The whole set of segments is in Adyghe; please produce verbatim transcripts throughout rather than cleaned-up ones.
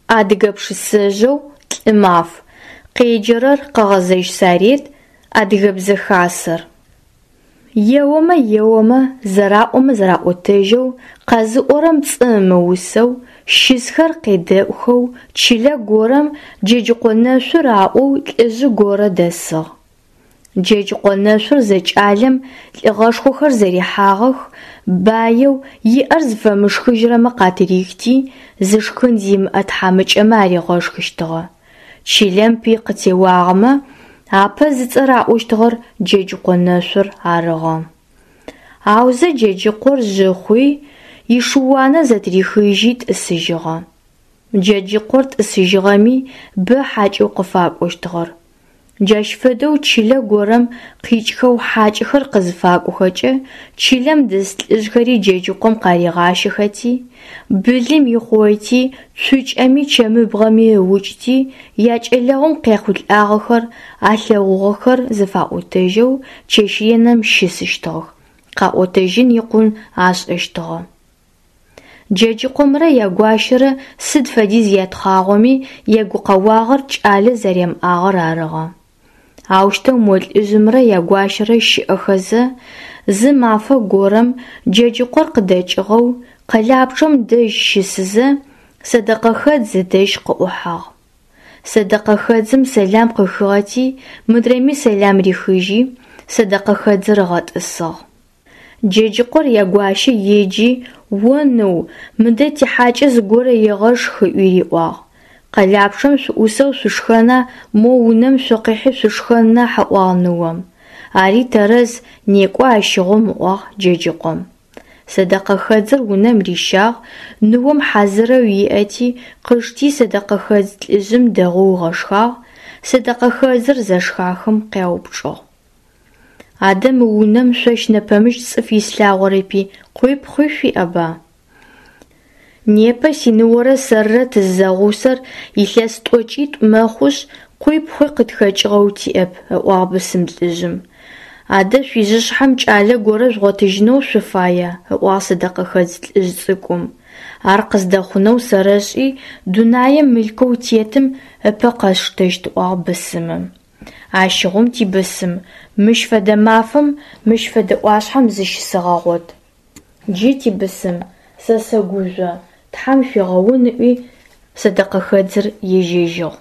Адыгэ пшысэжъэу «Лӏымаф». Къеджэрэр Къэгъэзэжь Сарет, Адыгэбзэ Хасэр. Еомэ еомэ, зэраӏомэ зэраӏотэжьэу, къэзыӏорэм пцӏы ымыусэу, щысхэр къедэӏухэу чылэ горэм Джэджыкъо Нэшъур аӏоу лӏыжъы горэ дэсыгъ. Джэджыкъо Нэшъур зэкӏалэм лӏыгъэшхохэр зэрихьагъэх, баеу, иӏэр зыфэмышхыжьырэмэ къатырихти, зышхын зимыӏэ тхьамыкӏэмэ аригъэшхыщтыгъэ. Чылэм пый къытеуагъэмэ, апэ зыцӏэ раӏощтыгъэр Джэджыкъо Нэшъур арыгъэ. Аузэ Джэджыкъор жъы хъуи, ишыуанэ зэтырихыжьи тӏысыжьыгъэ. Джэджыкъор тӏысыжьыгъэми бэ хьакӏэу къыфакӏощтыгъэр. Джащ фэдэу чылэ горэм къикӏхэу хьакӏэхэр къызыфакӏохэкӏэ, чылэм дэс лӏыжъхэри Джэджыкъом къаригъащэхэти, былым ихъойти, цукӏэми чэмыбгъэми ыукӏти, якӏэлэгъум къяхъулӏагъэхэр, алъэгъугъэхэр зэфаӏотэжьэу чэщ реным щысыщтыгъэх, къаӏотэжьын икъун ашӏэщтыгъэ. Джэджыкъомрэ ягуащэрэ сыд фэдиз ятхъагъоми ягукъэуагъэр кӏалэ зэрямыӏагъэр арыгъэ. Аущтэу мо лӏыжъымрэ ягуащэрэ щыӏэхэзэ, зы мафэ горэм Джэджыкъор къыдэкӏыгъэу, къэлапчъэм дэжь щысызэ, сэдэкъэхэдз ыдэжь къыӏухьагъ. Сэдэкъэхэдзым сэлам къыхыгъэти, мыдрэми сэлам рихыжьи, сэдэкъэхэдзыр ыгъэтӏысыгъ. Джэджыкъор ягуащэ еджи, «О ныу, мыдэ тихьакӏэ зыгорэ егъэшх» ыӏуи риӏуагъ. Къэлапчъэм шъуӏусэу шъушхэна, мо унэм шъукъихьи шъушхэн нахь, ыӏуагъ ныом. Ари тэрэз, некӏо ащыгъум, ыӏуагъ Джэджыкъом. Сэдэкъэхэдзыр унэм рищагъ, ныом хьазырэу иӏэти, къышти сэдэкъэхэдз лӏыжъым дэгъоу ыгъэшхагъ, сэдэкъэхэдзыр зэшхахэм къяупчӏыгъ. Адэ мы унэм шъощ нэпэмыкӏ цӏыф ислъагъорэпи, къуи пхъуи шъуиӏэба? Непэ синыорэ сэрырэ тыззэгъусэр илъэс тӏокӏитӏу мэхъушъ, къуи пхъуи къытхэкӏыгъэу тиӏэп, ыӏуагъ бысым лӏыжъым. Адэ шъуижъышъхьэм кӏалэ горэ жъугъотыжьынэу шъуфая? Ыӏуагъ сэдэкъэхэдз лӏыжъ цӏыкӏум. Ар къыздэхъунэу сэрэшӏи, дунаем мылъкоу тетым ыпэ къэсштэщт, ыӏуагъ бысымым. Ащыгъум тибысым, мыщ фэдэ мафэм мыщ фэдэ ӏуашъхьэм зыщысэгъэгъот. Джы тибысым, сэ сэгужъо, Тхьэм шъуегъэун, ыӏуи сэдэкъэхэдзыр ежьэжьыгъ.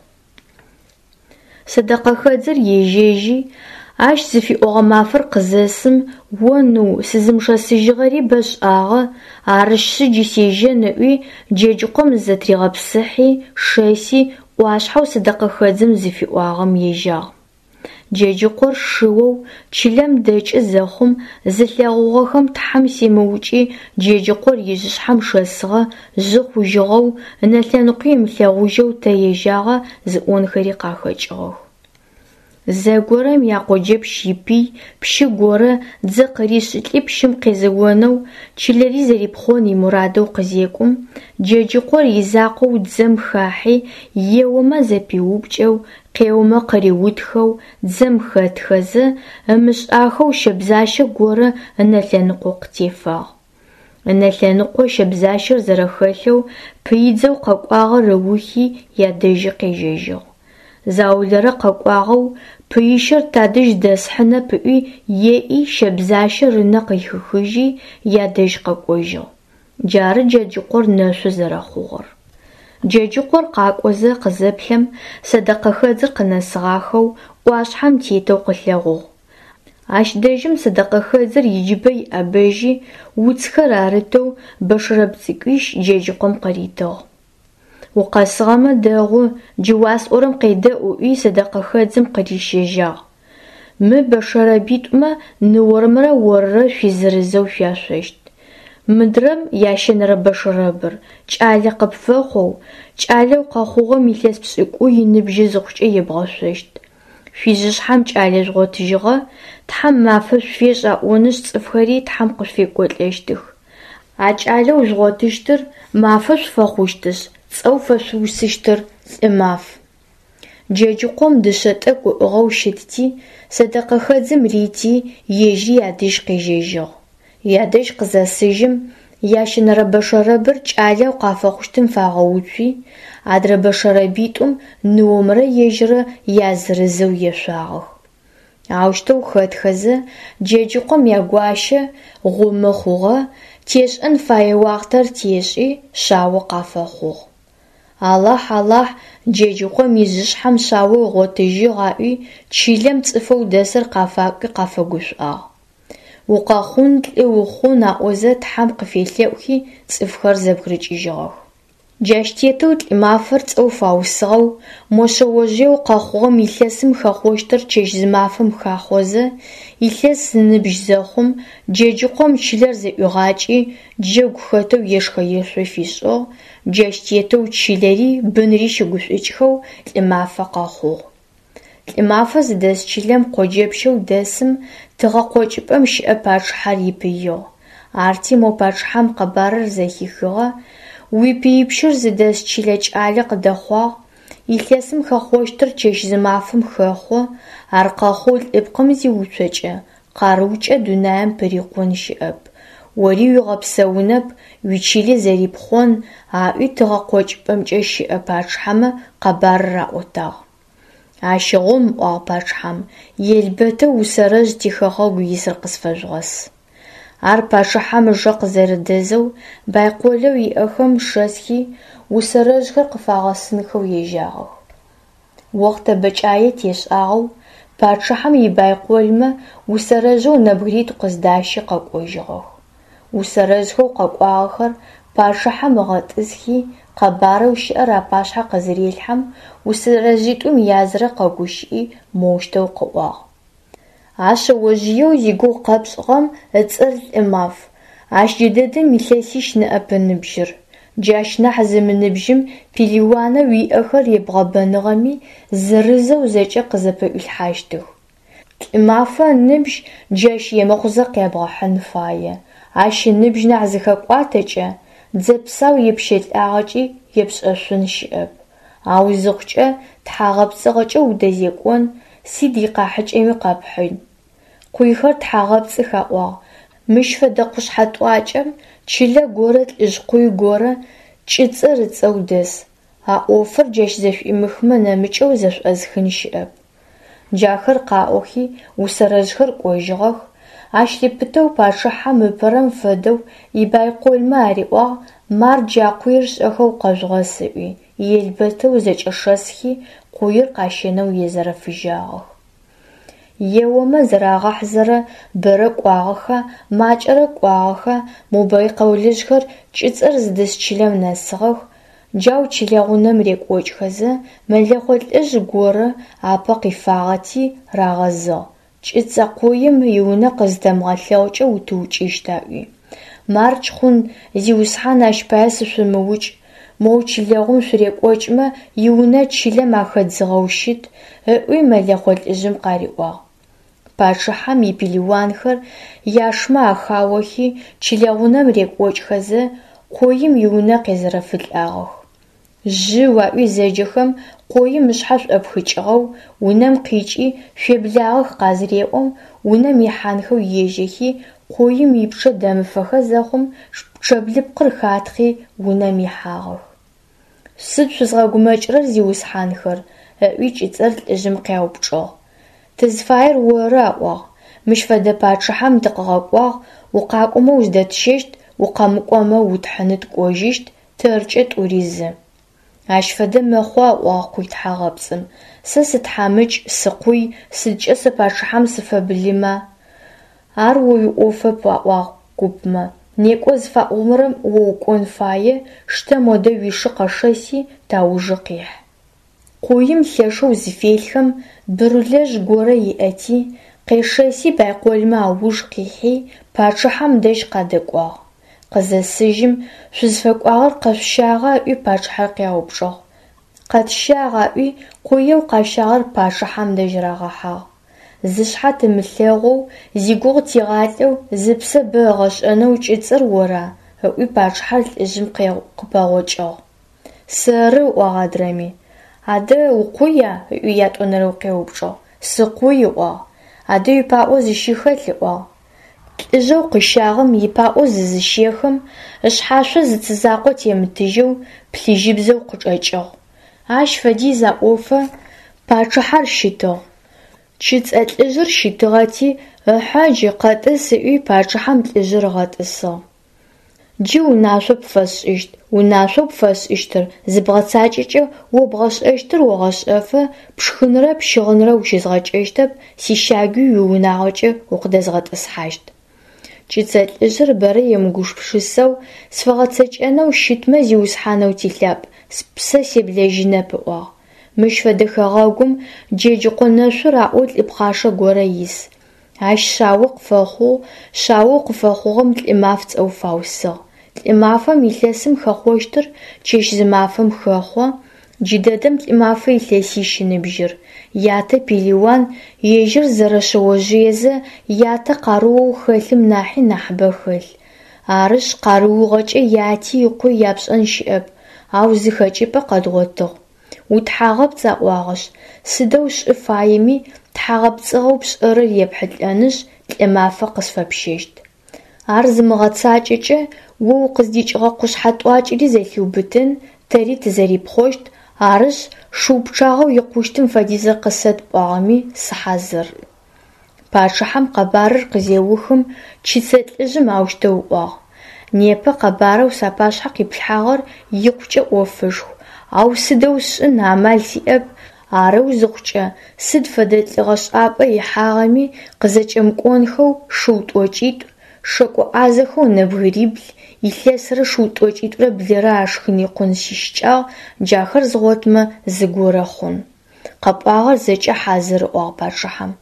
Сэдэкъэхэдзыр ежьэжьи, ащ зыфиӏогъэ мафэр къызэсым, «О ныу, сызымышэсыжьыгъэри бэшӏагъэ, арышъы джы сежьэн» ыӏуи, Джэджыкъом зызэтыригъэпсыхьи, шэси, ӏуашъхьэу сэдэкъэхэдзым зыфиӏуагъэм ежьагъ. Джэджыкъор шыоу чылэм дэкӏы зэхъум зылъэгъугъэхэм Тхьэм семыукӏи Джэджыкъор ижъышъхьэм шэсыгъэ, жъы хъужьыгъэу, ынэ лъэныкъуи ымылъэгъужьэу тэ ежьагъа зыӏонхэри къахэкӏыгъэх. Зэгорэм якъоджэпщ ипый пщы горэ дзэ къыришӏылӏи пщым къезэонэу, чылэри зэрипхъон имурадэу къызекӏум, Джэджыкъор изакъоу дзэм хахьи, еомэ зэпиупкӏэу, къеомэ къыриутхэу, дзэм хэтхэзэ, ымышӏахэу щэбзащэ горэ ынэ лъэныкъо къытефагъ. Ынэ лъэныкъо щэбзащэр зэрэхэлъэу пыидзэу къэкӏуагъэр ыухи ядэжьы къежьэжьыгъ. Заулэрэ къэкӏуагъэу пыищэр тадэжь дэсхьынэп ыӏуи еӏи щэбзащэр ынэ къыхихыжьи ядэжь къэкӏожьыгъ. Джары Джэджыкъор нэшъу зэрэхъугъэр. Джэджыкъор къакӏозэ къызэплъэм, сэдэкъэхэдзыр къынэсыгъахэу, ӏуашъхьэм тетэу къылъэгъугъ. Ащ дэжьым сэдэкъэхэдзыр иджыбэ иӏэбэжьи, уцхэр арытэу бэшэрэб цӏыкӏуищ Джэджыкъом къыритыгъ. Укъэсыгъэмэ дэгъу, джы уасӏорэм къедэӏу, ыӏуи сэдэкъэхэдзым къырищэжьагъ. Мы бэшэрэбитӏумэ ныормрэ орырэ шъуизырызэу шъуяшъощт. Мыдрэм ящэнэрэ бэшэрэбыр, кӏалэ къыпфэхъоу, кӏалэу къэхъугъэм илъэс пшӏыкӏуй ыныбжьы зыхъукӏэ ебгъэшъощт. Шъуижъышъхьэм кӏалэ жъугъотыжьыгъэ, Тхьэм мафэ шъуфешӏ аӏонышъ цӏыфхэри Тхьэм къышъуфекӏолӏэщтых. А кӏалэу жъугъотыщтыр мафэ шъуфэхъущтышъ, цӏэу фэшъуусыщтыр Лӏымаф. Джэджыкъом дышъэ тӏэкӏу ыӏыгъэу щытти, сэдэкъэхэдзым рити, ежьыри ядэжь къежьэжьыгъ. Ядэжь къызэсыжьым, Ящэнэрэ бэшэрэбыр кӏалэу къафэхъущтым фагъэуцуи, адрэ бэшэрэбитӏум ныомрэ ежьыррэ язырызэу ешъуагъэх. Аущтэу хэтхэзэ, Джэджыкъом ягуащэ гъумы хъугъэ, тешӏэн фэе уахътэр тешӏи, шъао къафэхъугъ. Алахь, Алахь, Джэджыкъом ижъышъхьэм шъао ыгъотыжьыгъ, аӏуи чылэм цӏыфэу дэсыр къафакӏуи къафэгушӏуагъ. Укъэхъун, лӏы ухъун аӏозэ Тхьэм къыфелъэӏухи цӏыфхэр зэбгырыкӏыжьыгъэх. Джащ тетэу Лӏымафэр цӏэу фаусыгъэу, мо шъэожъыеу къэхъугъэм илъэсым хэхъощтыр чэщ-зымафэм хахъозэ, илъэс ыныбжь зэхъум, Джэджыкъом чылэр зэӏуигъакӏи, джэгу хэтэу ешхэ-ешъо фишӏыгъ, джащ тетэу чылэри бынри щыгушӏукӏхэу Лӏымафэ къэхъугъ. Лӏымафэ зыдэс чылэм къоджэпщэу дэсым тыгъэ къокӏыпӏэм щыӏэ пачъыхьэр ипыигъ. Арти мо пачъыхьэм къэбарыр зэхихыгъэ: уипыипщыр зыдэс чылэ кӏалэ къыдэхъуагъ, илъэсым хэхъощтыр чэщ-зымафэм хэхъо, ар къэхъоу лӏыпкъым зиуцокӏэ, къарыукӏэ дунаим пырикъун щыӏэп, ори уигъэпсэунэп, уичыли зэрипхъон, аӏуи тыгъэ къокӏыпӏэмкӏэ щыӏэ пачъыхьэмэ къэбарыр аӏотагъ. Ащыгъум, ыӏуагъ пачъыхьэм, елбэтэу усэрэжъ тихэгъэгу исыр къысфэжъугъэс. Ар пачъыхьэм ыжэ къызэрэдэзэу байколэу иӏэхэм шэсхи усэрэжъхэр къыфагъэсынхэу ежьагъэх. Охътэ бэкӏае тешӏагъэу пачъыхьэм ибайколмэ усэрэжъэу нэбгыритӏу къыздащи къэкӏожьыгъэх. Усэрэжъхэу къэкӏуагъэхэр пачъыхьэм ыгъэтӏысхи, къэбарэу щыӏэр апашъхьэ къызырелъхьэм, усэрэжъитӏум язырэ къэгущыӏи моущтэу къыӏуагъ: А шъэожъыеу зигугъу къэпшӏыгъэм ыцӏэр Лӏымаф, ащ джыдэдэм илъэсищ ныӏэп ыныбжьыр. Джащ нахь зымыныбжьым пелыуанэу иӏэхэр ебгъэбэныгъэми, зырызэу зэкӏэ къызэпэӏуилъхьащтых. Лӏымафэ ыныбжь джащ емыхъузэ къябгъэхьын фае. Ащ ыныбжь нахь зыхэкӏуатэкӏэ, дзэ псау епщэлӏагъэкӏи епшӏэшъун щыӏэп. Ау зыхъукӏэ тхьагъэпцӏыгъэкӏэ удэзекӏон, сыд икъахьыкӏэми къэпхьын. Къуйхэр тхьагъэпцӏых аӏуагъ. Мыщ фэдэ къушъхьэ тӏуакӏэм чылэ горэ лӏыжъ къуй горэ Кӏыцӏэр ыцӏэу дэс. А ӏофыр джащ зэшӏуимыхмэ нэмыкӏэу зэшӏозыхын щыӏэп. Джахэр къаӏохи, усэрэжъхэр кӏожьыгъэх. Ащ лъыпытэу пачъыхьэм ыпэрэм фэдэу ибайколмэ ариӏуагъ мардж а къуир шӏэхэу къэжъугъэс ыӏуи, елбэтэу зэкӏэшэсхи къуир къащэнэу езэрэфыжьагъэх. Еомэ зэрагъэхьызэрэ бэрэ кӏуагъэха, макӏэрэ кӏуагъэха, мо байколыжъхэр Кӏыцӏэр зыдэс чылэм нэсыгъэх, джау чылэгъунэм рекӏокӏхэзэ, мэлэхъо лӏыжъ горэ апэ къифагъэти, рагъэзыгъ: Кӏыцӏэ къуим иунэ къызытэмыгъэлъэгъукӏэ утыукӏыщт, аӏуи. Мардж хъун, зиусхьан, ащ пае сышъумыукӏ, моу чылэгъум шъурекӏокӏмэ, иунэ чылэм ахэдзыгъэу щыт, ыӏуи мэлэхъо лӏыжъым къариӏуагъ. Пачъыхьэм ипелыуанхэр яшмэ ахаохи, чылэгъунэм рекӏокӏхэзэ, къоим иунэ къезэрэфылӏагъэх. Жъыу аӏуи зэджэхэм, къоим ышъхьэ шӏопхыкӏыгъэу унэм къикӏи шъуеблагъэх къазыреӏом, унэм ихьанхэу ежьэхи, къоим ипчъэ дэмыфэхэ зэхъум, пчъэблыпкъыр хатхъи унэм ихьагъэх. Сыд шъузгъэгумэкӏырэр, зиусхьанхэр? Ыӏуи Кӏыцӏэр лӏыжъым къяупчӏыгъ. Тызфаер оры, аӏуагъ. Мыщ фэдэ пачъыхьэм тыкъыгъэкӏуагъ, укъакӏомэ узыдэтщэщт, укъэмыкӏомэ утхьыны тыкӏожьыщт, тэркӏэ тӏури зы. Ащ фэдэ мэхъуа, ыӏуагъ къуй тхьагъэпцӏым. Сэ сытхьамыкӏ, сыкъуй, сыдкӏэ сэ пачъыхьэм сыфэбылыма? Ар о уиӏофэп, аӏуагъ купмэ. Некӏо зыфаӏорэм о укӏон фае, штэ модэ уишы къэшэси, таужы къихь. Къуим лъэшэу зыфелъхэм, бырулэжъ горэ иӏэти, къешэси байколмэ ауж къихьи, пачъыхьэм дэжь къадэкӏуагъ. Къызэсыжьым, шъузфэкӏуагъэр къэшъущагъа ыӏуи пачъыхьэр къяупчӏыгъ. Къэтщагъ, аӏуи, къуеу къащагъэр пачъыхьэм дэжь рагъэхьагъ. Зышъхьэ тымылъэгъоу, зигугъу тигъалӏэу, зыпсэ бэ ыгъэшӏэнэу Кӏыцӏэр ора? Ыӏуи пачъыхьэр лӏыжъым къыпэгъокӏыгъ. Сэры, ыӏуагъ адрэми. Адэ укъуя? Ыӏуи ятӏонэрэу къеупчӏыгъ. Сыкъуй, ыӏуагъ. Адэ уипаӏо зыщыхэлъ, ыӏуагъ. Лӏыжъэу къыщагъэм ипаӏо зызыщехым, ышъхьашъо зы цы закъо темытыжьэу, плъыжьыбзэу къычӏэкӏыгъ. Ащ фэдиз аӏофэ, пачъыхьэр щытыгъ. Чыцӏэ лӏыжъыр щытыгъэти, ыхьы джы къэтӏыс ыӏуи пачъыхьэм лӏыжъыр ыгъэтӏысыгъ. Джы унашъо пфэсшӏыщт, унашъоу пфэсшӏыщтыр зыбгъэцакӏэкӏэ о бгъэшӏэщтыр огъэшӏэфэ, пшхынрэ пщыгъынрэ ущызгъэкӏэщтэп, сищагуи уиунагъокӏэ укъыдэзгъэтӏысхьащт. Чыцэ лӏыжъыр бэрэ емыгупшысэу сфэгъэцэкӏэнэу щытмэ, зиусхьанэу тилъапӏ, спсэ себлэжьынэп, ыӏуагъ. Мыщ фэдэ хэгъэгум Джэджыкъо нэшъур аӏоу лӏы пхъашэ горэ ис. Ащ шъао къыфэхъугъ, шъаоу къыфэхъугъэм Лӏымаф цӏэу фаусыгъ. Лӏымафэм илъэсым хэхъощтыр чэщ-зымафэм хэхъо, джыдэдэм Лӏымафэ илъэсищ ыныбжьыр. Ятэ пелыуан, ежьыр зэрэшъэожъыезэ ятэ къарыоу хэлъым нахьи нахьыбэ хэлъ. Арышъ, къарыугъэкӏэ яти ыкъуи япшӏэн щыӏэп, ау зы хэкӏыпӏэ къэдгъотыгъ. Утхьагъэпцӏ аӏуагъэшъ, сыдэу шӏы фаеми, тхьагъэпцӏыгъэу пшӏэрэр епхьылӏэнышъ, Лӏымафэ къысфэпщэщт. Ар зымыгъэцакӏэкӏэ, о укъыздикӏыгъэ къушъхьэ тӏуакӏэри зэлъиубытын, тэри тызэрипхъощт, арышъ, шыу пчъагъэу икъущтым фэдизыр къысэт пӏуагъэми, сыхьазыр. Пачъыхьэм къэбарыр къызеухым, чыцэ лӏыжъым аущтэу ыӏуагъ: Непэ къэбарэу сапашъхьэ къиплъхьагъэр икъукӏэ ӏофышху, ау сыдэу сшӏын амал сиӏэп, арэу зыхъукӏэ, сыд фэдэ лӏыгъэшӏапӏэ ихьагъэми къызэкӏэмыкӏонхэу шыу тӏокӏитӏу, шэкӏо ӏазэхэу нэбгырибл, илъэсрэ шыу тӏокӏитӏурэ блырэ ашхын икъун сищыкӏагъ, джахэр згъотмэ, зыгорэ хъун. Къэпӏуагъэр зэкӏэ хьазыр, ыӏуагъ пачъыхьэм.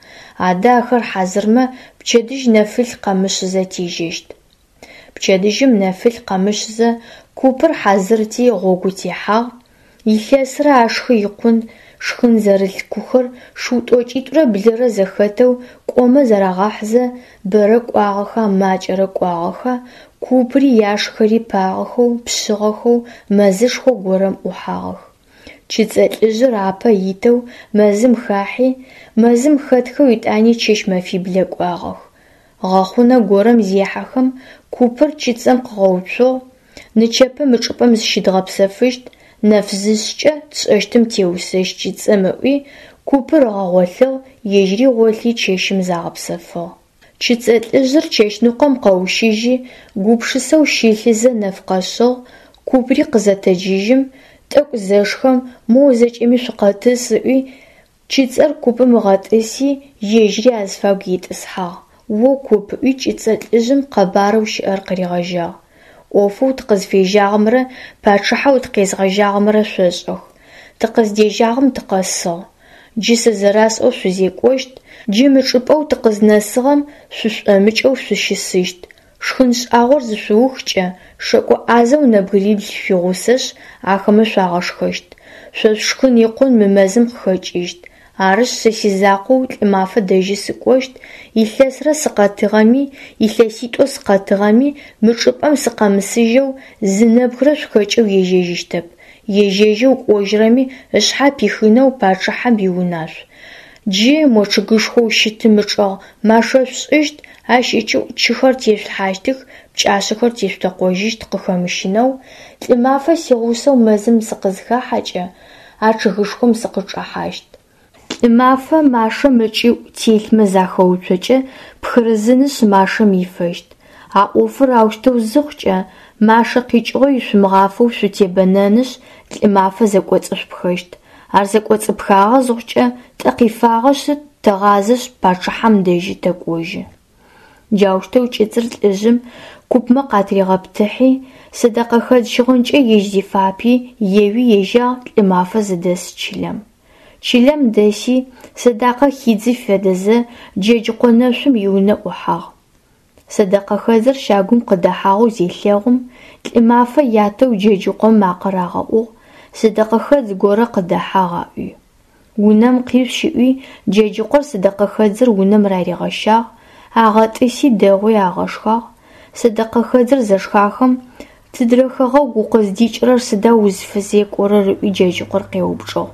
Адэ ахэр хьазырмэ, пчэдыжь нэфылъ къэмышъызэ тежьэщт. Пчэдыжьым нэфылъ къэмышъызэ купыр хьазырти гъогу техьагъ. Илъэсрэ ашхы икъун шхын зэрылъ кухэр шыу тӏокӏитӏурэ блырэ зэхэтэу кӏомэ зэрагъэхьызэ, бэрэ кӏуагъэха, макӏэрэ кӏуагъэха, купри яшхэри пагъэхэу, пшъыгъэхэу мэзышхо горэм ӏухьагъэх. Чыцӏэ лӏыжъыр апэ итэу мэзым хахьи, мэзым хэтхэу етӏани чэщ-мэфиблэ кӏуагъэх. Гъэхъунэ горэм зехьэхэм, купыр чыцӏэм къыгъэуцугъ: нычэпэ мы чӏыпӏэм зыщыдгъэпсэфыщт, нэф зышъкӏэ тшӏэщтым теусэщт чыцӏэм ыӏуи, купыр ыгъэгъолъыгъ, ежьыри гъолъи чэщым загъэпсэфыгъ. Чыцӏэ лӏыжъыр чэщныкъом къэущыжьи, гупшысэу щылъызэ нэф къэшъыгъ, купри къызэтэджыжьым, тӏэкӏу зэшхэм, моу зэкӏэми шъукъэтӏыс ыӏуи, чыцӏэр купым ыгъэтӏыси, ежьыри азыфагу итӏысхьагъ. О куп, ыӏуи чыцӏэ лӏыжъым къэбарэу щыӏэр къыригъэжьагъ. Ӏофэу тыкъызфежьагъэмрэ пачъыхьэу тыкъезгъэжьагъэмрэ шъошӏэх. Тыкъыздежьагъэм тыкъэсыгъ. Джы сэ зэрасӏоу шъузекӏощт, джы мы чӏыпӏэу тыкъызнэсыгъэм шъушӏомыкӏэу шъущысыщт. Шхын шӏагъор зышъуухкӏэ, шэкӏо ӏазэу нэбгырибл шъуигъусэшъ, ахэмэ шъуагъэшхэщт. Шъо шъушхын икъун мы мэзым къыхэкӏыщт. Арышъ, сэ сизакъоу Лӏымафэ дэжьы сыкӏощт, илъэсрэ сыкъэтыгъэми, илъэситӏо сыкъэтыгъэми, мы чӏыпӏэм сыкъэмысыжьэу зы нэбгырэ шъухэкӏэу ежьэжьыщтэп. Ежьэжьэу кӏожьырэми ышъхьэ пихынэу пачъыхьэм иунашъу. Джы мо чъыгышхоу щытым ычӏэгъ машэ шъушӏыщт, ащ ыкӏыӏу чыхэр тешъулъхьащтых, пкӏашъэхэр тешъутэкъожьыщт къыхэмыщынэу. Лӏымафэ сигъусэу мэзым сыкъызыхахьэкӏэ, а чъыгышхом сыкъычӏэхьащт. Лӏымафэ машэм ыкӏыӏу телъмэ захэуцокӏэ, пхырызынышъ машэм ифэщт. А ӏофыр аущтэу зыхъукӏэ, машэ къикӏыгъо ишъумыгъафэу шъутебэнэнышъ, Лӏымафэ зэкӏоцӏышъупхэщт. Ар зэкӏоцӏыпхагъэ зыхъукӏэ, тӏэ къифагъэшъ, тэгъазэшъ пачъыхьэм дэжьы тэкӏожьы. Джаущтэу чыцӏыр лӏыжъым купмэ къатригъэптыхьи, сэдэкъэхэдз щыгъынкӏэ ежь зифапи, еуи ежьагъ Лӏымафэ зыдэс чылэм. Чылэм дэси, сэдакъэ хидзы фэдэзэ, Джэджыкъо нэшъум иунэ ӏухьагъ. Сэдэкъэхэдзыр щагум къыдэхьагъэу зелъэгъум, Лӏымафэ ятэу Джэджыкъом макъэ рагъэӏугъ, сэдэкъэхэдз горэ къыдэхьагъ аӏуи. Унэм къишъущ ыӏуи, Джэджыкъор сэдэкъэхэдзыр унэм раригъэщагъ, агъэтӏыси дэгъоуи агъэшхагъ. Сэдэкъэхэдзыр зэшхахэм, тыдрэ хэгъэгу укъыздикӏырэр, сыда узфэзекӏорэр ыӏуи Джэджыкъор къеупчӏыгъ.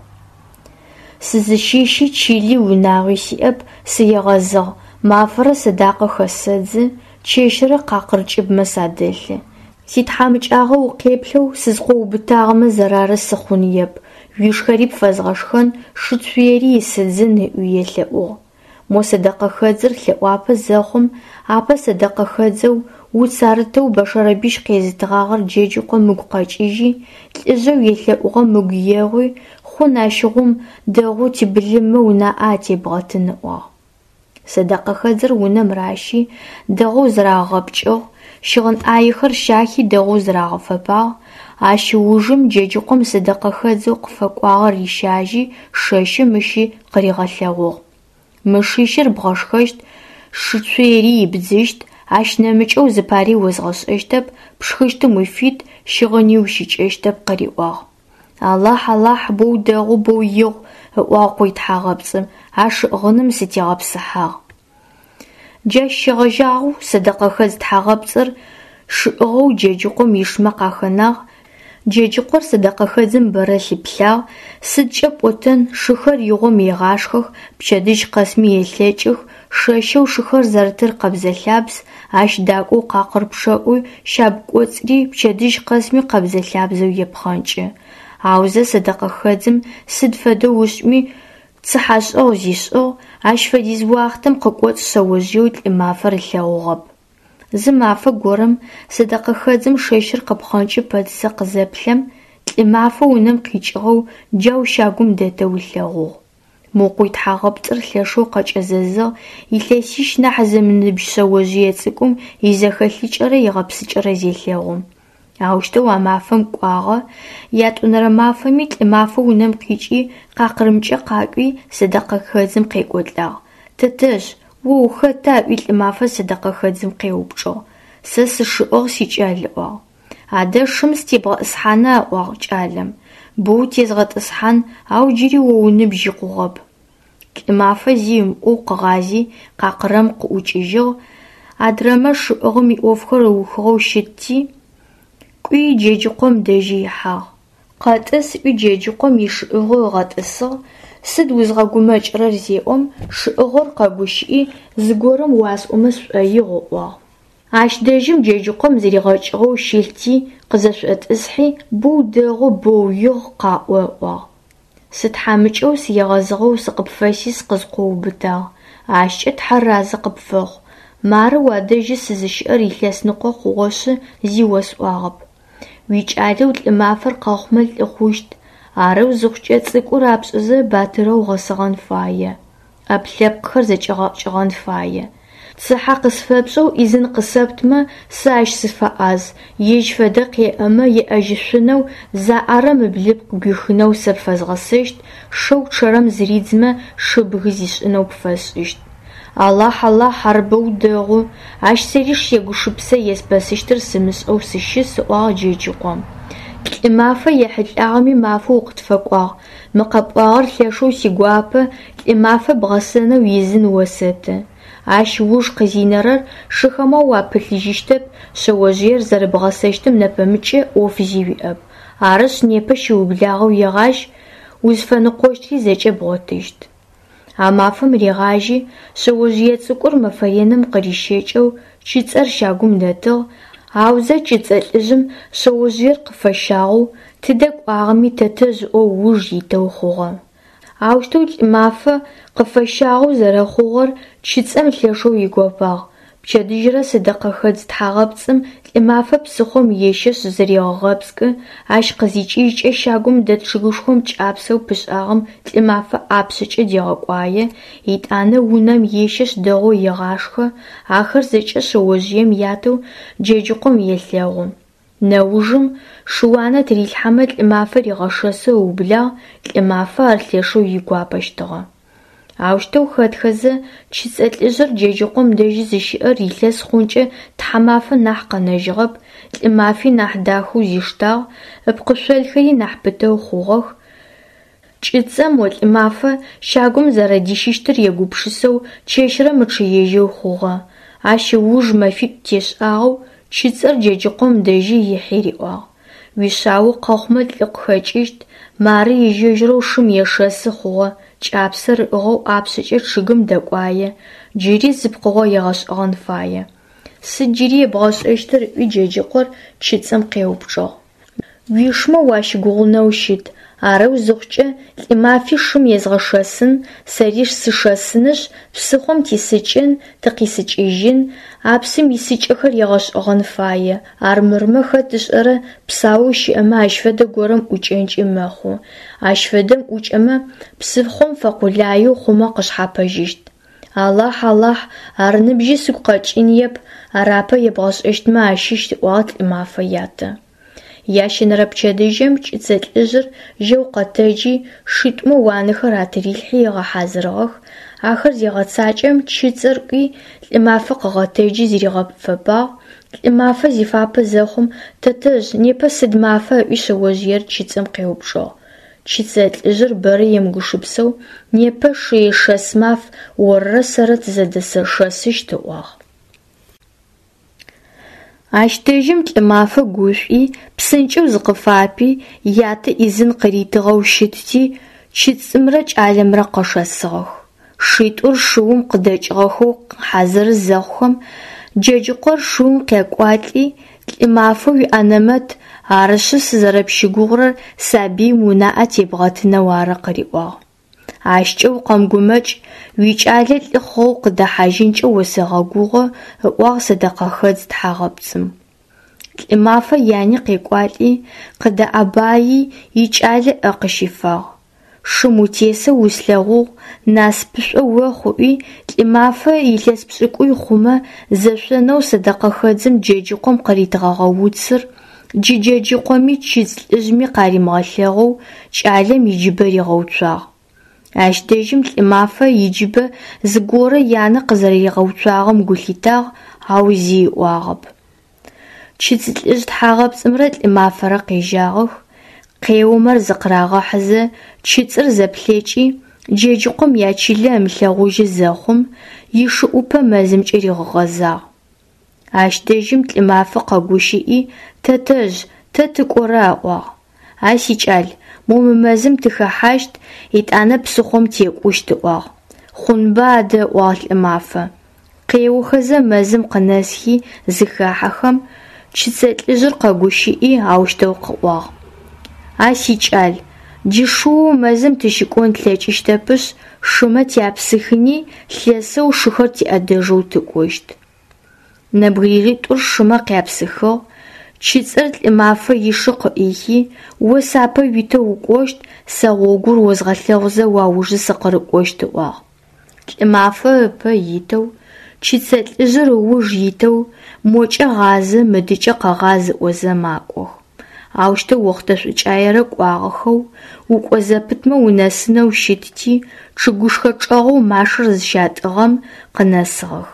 Сызыщыщи чыли унагъуи сиӏэп, сыегъэзыгъ, мафэрэ сэдакъэ хэсэдзы, чэщырэ къакъыр кӏыбмэ садэлъы. Ситхьамыкӏагъо укъеплъэу сызкъоуубытагъэмэ зэрары сыхъуныеп, уишхэри пфэзгъэшхэн, шыцуери исыдзын, ыӏуи елъэӏугъ. Мо сэдэкъэхэдзыр лъэӏуапэ зэхъум, апэ сэдэкъэхэдзэу уц арытэу бэшэрэбищ къезытыгъагъэр Джэджыкъом ыгу къэкӏыжьи, лӏыжъэу елъэӏугъэм ыгу егъуи, хъун ащыгъум дэгъоу тибылыммэ унаӏэ атебгъэтын ыӏуагъ. Сэдэкъэхэдзыр унэм ращи, дэгъоу зырагъэгъэпкӏыгъ, щыгъын ӏаехэр щахи дэгъоу зырагъэфэпагъ. Ащ ыужым Джэджыкъом сэдэкъэхэдзэу къыфэкӏуагъэр рищажьи, шэщым ыщи къыригъэлъэгъугъ. Мы шищыр бгъэшхэщт, шыцуери ибдзыщт, ащ нэмыкӏэу зыпари озгъэшӏэщтэп, пшхыщтым уфит, щыгъыни уищыкӏэщтэп, къыриӏуагъ. Алахь, Алахь, боу дэгъу, боу игъу, ыӏуагъ къуй тхьагъэпцӏым, а шыӏыгъыным сытегъэпсыхьагъ. Джащ щегъэжьагъэу сэдэкъэхэдз тхьагъэпцӏыр шыӏыгъэу Джэджыкъом ишмэ къахэнагъ. Джэджыкъор сэдэкъэхэдзым бэрэ лъыплъагъ, сыдкӏэ пӏотэн, шыхэр игъом егъашхэх, пчэдыжь къэсми елъэкӏых, шэщэу шыхэр зэрытыр къэбзэ-лъабз, ащ дакӏоу къакъыр пчъэӏуи, щагу кӏоцӏри пчэдыжь къэсми къэбзэ-лъабзэу епхъэнкӏы. Аузэ сэдэкъэхэдзым сыд фэдэу ышӏми цыхьэшӏэгъу зишӏыгъ, ащ фэдиз уахътэм къыкӏоцӏ шъэожъыеу лӏымафэр ылъэгъугъэп. Зы мафэ горэм сэдэкъэхэдзым шэщыр къыпхъэнкӏы пэтзэ къызэплъэм, лӏымафэ унэм къикӏыгъэу джау щагум дэтэу ылъэгъугъ. Мо къуй тхьагъэпцӏыр лъэшэу къэкӏэзэзыгъ, илъэсищ нахь зымыныбжь шъэожъые цӏыкӏум изэхэлъыкӏэрэ игъэпсыкӏэрэ зелъэгъум. Аущтэу а мафэм кӏуагъэ, ятӏонэрэ мафэми лӏымафэ унэм къикӏи къакъырымкӏэ къакӏуи сэдэкъэхэдзым къекӏолӏагъ. Тэтэжъ, о ухэта? Ыӏуи лӏымафэ сэдэкъэхэдзым къеупчӏыгъ. Сэ сышыӏыгъ, сикӏал, ыӏуагъ. Адэ шым сытебгъэтӏысхьана? Ыӏуагъ кӏалэм. Боу утезгъэтӏысхьан, ау джыри о уныбжь икъугъэп. Лӏымафэ зи ымыӏоу къыгъази къакъырэм къыӏукӏыжьыгъ, адрэмэ шыӏыгъым иӏофхэр ыухыгъэу щытти, кӏуи Джэджыкъом дэжьи ихьагъ. Къэтӏыс ыӏуи Джэджыкъом ишыӏыгъо ыгъэтӏысыгъ, сыд узгъэгумэкӏырэр зеӏом, шыӏыгъор къэгущыӏи, зыгорэм уасӏомэ сшӏоигъу ыӏуагъ. Ащ дэжьым Джэджыкъом зыригъэкӏыгъэу щылъти, къызэшӏотӏысхьи, боу дэгъу, боу игъу, къаӏо ыӏуагъ. Сытхьамыкӏэу сыегъэзыгъэу сыкъыпфэси сыкъызкъоуубытагъ, ащкӏэ Тхьэр разэ къыпфэхъу. Мары уадэжьы сызыщыӏэр илъэсныкъо хъугъэшъы зи осӏуагъэп. Уикӏалэу лӏымафэр къэхъумэ лӏы хъущт, арэу зыхъукӏэ цӏыкӏу рапшӏэзэ батырэу гъэсэгъэн фае, ӏэпкъ-лъэпкъхэр зэкӏэгъэкӏыгъэн фае. Цыхьэ къысфэпшӏэу ӏизын къысэптмэ, сэ ащ сыфэӏаз, ежь фэдэ къеӏэмэ еӏэжьышъунэу, заӏэрэм ыблыпкъ гуихынэу сэ пфэзгъэсэщт, шэу чъэрэм зыридзмэ шыбгы зишӏынэу пфэсшӏыщт. Алахь, Алахь, ар боу дэгъу, ащ сэри сегушыпсэ еспэсыщтыр сымышӏэу сыщыс, ыӏуагъ Джэджыкъом. Лӏымафэ ехьылӏагъэми мафэу укъытфэкӏуагъ, мы къэпӏуагъэр лъэшэу сигуапэ, лӏымафэ бгъэсэнэу ӏизын осэты. Ащ ыуж къызинэрэр шыхэмэ уапылъыжьыщтэп, шъэожъыер зэрэбгъэсэщтым нэпэмыкӏэ ӏоф зи уиӏэп. Арышъ, непэ щыублагъэу егъажь, узфэныкъощтри зэкӏэ бгъотыщт. А мафэм ригъажьи, шъэожъые цӏыкӏур мэфэ реным къырищэкӏэу чыцӏэр щагум дэтыгъ, аузэ чыцӏэ лӏыжъым шъэожъыер къыфэщагъэу, тыдэ кӏуагъэми тэтэжъ ыӏоу ыуж итэу хъугъэ. Аущтэу лӏымафэ къыфэщагъэу зэрэхъугъэр чыцӏэм лъэшэу игопагъ. Пчэдыжьрэ сэдэкъэхэдз тхьагъэпцӏым лӏымафэ псыхъом ещэшъ зырегъэгъэпскӏы, ащ къызикӏыжькӏэ щагум дэт чъыгышхом кӏапсэу пышӏагъэм лӏымафэ ӏапшъэкӏэ дегъэкӏуае, етӏанэ унэм ещэшъ дэгъоу егъашхэ, ахэр зэкӏэ шъэожъыем ятэу Джэджыкъом елъэгъу. Нэужым шыуанэ тырилъхьэмэ лӏымафэ ригъэшэсэу ыублагъ, лӏымафэ ар лъэшэу игуапэщтыгъэ. Аущтэу хэтхэзэ, чыцӏэ лӏыжъыр Джэджыкъом дэжьы зыщыӏэр илъэс хъункӏэ тхьамафэ нахь къэнэжьыгъэп, лӏымафи нахь дахэу зиштагъ, ыпкъышъолхэри нахь пытэу хъугъэх. Чыцӏэм о лӏымафэ щагум зэрэдищыщтыр егупшысэу чэщырэ мычъыежьэу хъугъэ. Ащ ыуж мэфитӏу тешӏагъэу чыцӏэр Джэджыкъом дэжьы ихьи риӏуагъ: Уишъао къэхъумэ лӏы къыхэкӏыщт, мары ежь-ежьырэу шым ешэсы хъугъэ, кӏапсэр ыӏыгъэу ӏапшъэкӏэ чъыгым дэкӏуае, джыри зы пкъыгъо егъэшӏэгъэн фае. Сыд джыри ебгъэшӏэщтыр? – ыӏуи Джэджыкъор чыцӏым къеупчӏыгъ. Уишмэ уащыгугъынэу щыт, арэу зыхъукӏэ Лӏымафи шым езгъэшэсын, сэри сышэсынышъ, псыхъом тисыкӏын, тыкъисыкӏыжьын, а псым исыкӏэхэр егъэшӏэгъэн фае, армырмэ хэт ышӏэрэ псаоу щыӏэмэ ащ фэдэ горэм ӏукӏэнкӏи мэхъу, ащ фэдэм ӏукӏэмэ, псыхъом фэкъулаеу хъумэ къышъхьапэжьыщт. Алахь, Алахь, ар ныбжьи сыгу къэкӏыныеп, ар апэ ебгъэшӏэщтмэ ащыщ, ыӏуагъ Лӏымафэ ятэ. Ящэнэрэ пчэдыжьым чыцэ лӏыжъыр жьэу къэтэджи, шитӏумэ уанэхэр атырилъхьи ыгъэхьазырыгъэх, ахэр зегъэцакӏэм чыцэр кӏуи Лӏымафэ къыгъэтэджи зыригъэфэпагъ. Лӏымафэ зифапэ зэхъум, «Тэтэжъ, непэ сыд мафа?» ыӏуи шъэожъыер чыцэм къеупчӏыгъ. Чыцэ лӏыжъыр бэрэ емыгупшысэу «Непэ шыешэс маф, орырэ сэрырэ тызэдэшэсыщт», ыӏуагъ. Ащ дэжьым Лӏымафэ гушӏуи, псынкӏэу зыкъыфапи, ятэ ӏизын къыритыгъэу щытти, чыцӏымрэ кӏалэмрэ къэшэсыгъэх. Шитӏур шыум къыдэкӏыгъэхэу хьазыры зэхъухэм, Джэджыкъор шыум къекӏуалӏи, «Лӏымафэ уиӏэнэмэт, арышъы сызэрэпщыгугъырэр сабыим унаӏэ тебгъэтынэу ары», къыриӏуагъ. Ащкӏэ укъэмыгумэкӏ, уикӏалэ лӏы хъугъэу къыдэхьажьынкӏэ осэгъэгугъэ, ыӏуагъ сэдэкъэхэдз тхьагъэпцӏым. Лӏымафэ яни къекӏуалӏи, къыдэӏэбаий, икӏалэ ӏэ къыщифагъ. Шым утесэу услъэгъугъ, насыпышӏо охъу, ыӏуи, Лӏымафэ илъэс пшӏыкӏуй хъумэ зэшъонэу сэдэкъэхэдзым Джэджыкъом къыритыгъэгъэ уцыр, джы Джэджыкъоми чыцӏ лӏыжъми къаримыгъэлъэгъоу, кӏалэм иджыбэ ригъэуцуагъ. Ащ дэжьым Лӏымафэ иджыбэ зыгорэ янэ къызэрэригъэуцуагъэм гу лъитагъ, ау зи ыӏуагъэп. Чыцӏ лӏыжъ тхьагъэпцӏымрэ Лӏымафэрэ къежьагъэх, къеомэр зыкъырагъэхьызэ чыцӏыр зэплъэкӏи, Джэджыкъом ячылэ ымылъэгъужьы зэхъум, ишыӏупэ мэзымкӏэ ригъэгъэзагъ. Ащ дэжьым Лӏымафэ къэгущыӏи, «Тэтэжъ, тэ тыкӏора?» ыӏуагъ. «А сикӏал, мо мы мэзым тыхэхьащт, етӏанэ псыхъом текӏущт», ыӏуагъ. «Хъунба адэ», ыӏуагъ Лӏымафэ. Къеохэзэ мэзым къынэсхи зыхахьэхэм, чыцэ лӏыжъыр къэгущыӏи аущтэу къыӏуагъ: «А сикӏал, джы шыоу мэзым тыщыкӏон тлъэкӏыщтэпышъ, шымэ тяпсыхыни, лъэсэу шыхэр тиӏэдэжьэу тыкӏощт». Нэбгыритӏур шымэ къяпсыхыгъ, чыцӏыр Лӏымафэ ишы къыӏихи, «О сапэ уитэу укӏощт, сэ гъогур озгъэлъэгъузэ уаужы сыкъырыкӏощт», ыӏуагъ. Лӏымафэ ыпэ итэу, чыцэ лӏыжъыр ыуж итэу, мокӏэ гъазэ, мыдыкӏэ къэгъаз ыӏозэ макӏох. Аущтэу охътэ шӏукӏаерэ кӏуагъэхэу, укӏо зэпытмэ унэсынэу щытти, чъыгышхо чӏэгъэу машэр зыщатӏыгъэм къынэсыгъэх.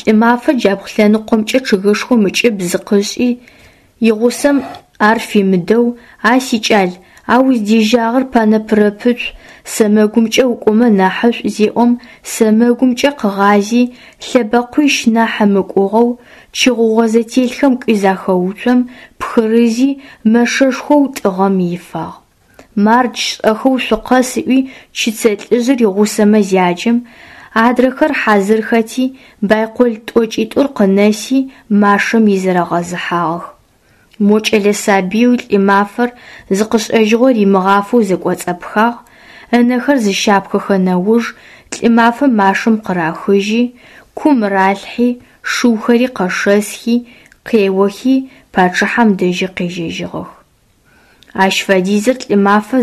Лӏымафэ джабгъу лъэныкъомкӏэ чъыгышхом ыкӏыб зыкъышӏи, игъусэм ар фимыдэу «А сикӏал, а уздежьагъэр панэпырэпыцу, сэмэгумкӏэ укӏомэ нахьышӏу» зеӏом, сэмэгумкӏэ къыгъази, лъэбэкъуищ нахь ымыкӏугъэу, чы гъугъэ зэтелъхэм кӏуи захэуцом, пхырызи, мэшэшхоу тӏыгъэм ифагъ. «Мардж, шӏэхэу шъукъэс», ыӏуи чыцэ лӏыжъыр игъусэмэ зяджэм, адрэхэр хьазырхэти, байкол тӏокӏитӏур къынэси, машэм изэрэгъэзыхьагъэх. Мо кӏэлэ сабыеу Лӏымафэр зыкъышӏэжьыгъо римыгъафэу зэкӏоцӏэпхагъ, ынэхэр зыщапхэхэ нэуж Лӏымафэ машэм къырахыжьи, кум ралъхьи, шыухэри къэшэсхи, къеохи, пачъыхьэм дэжьы къежьэжьыгъэх. Ащ фэдизыр Лӏымафэ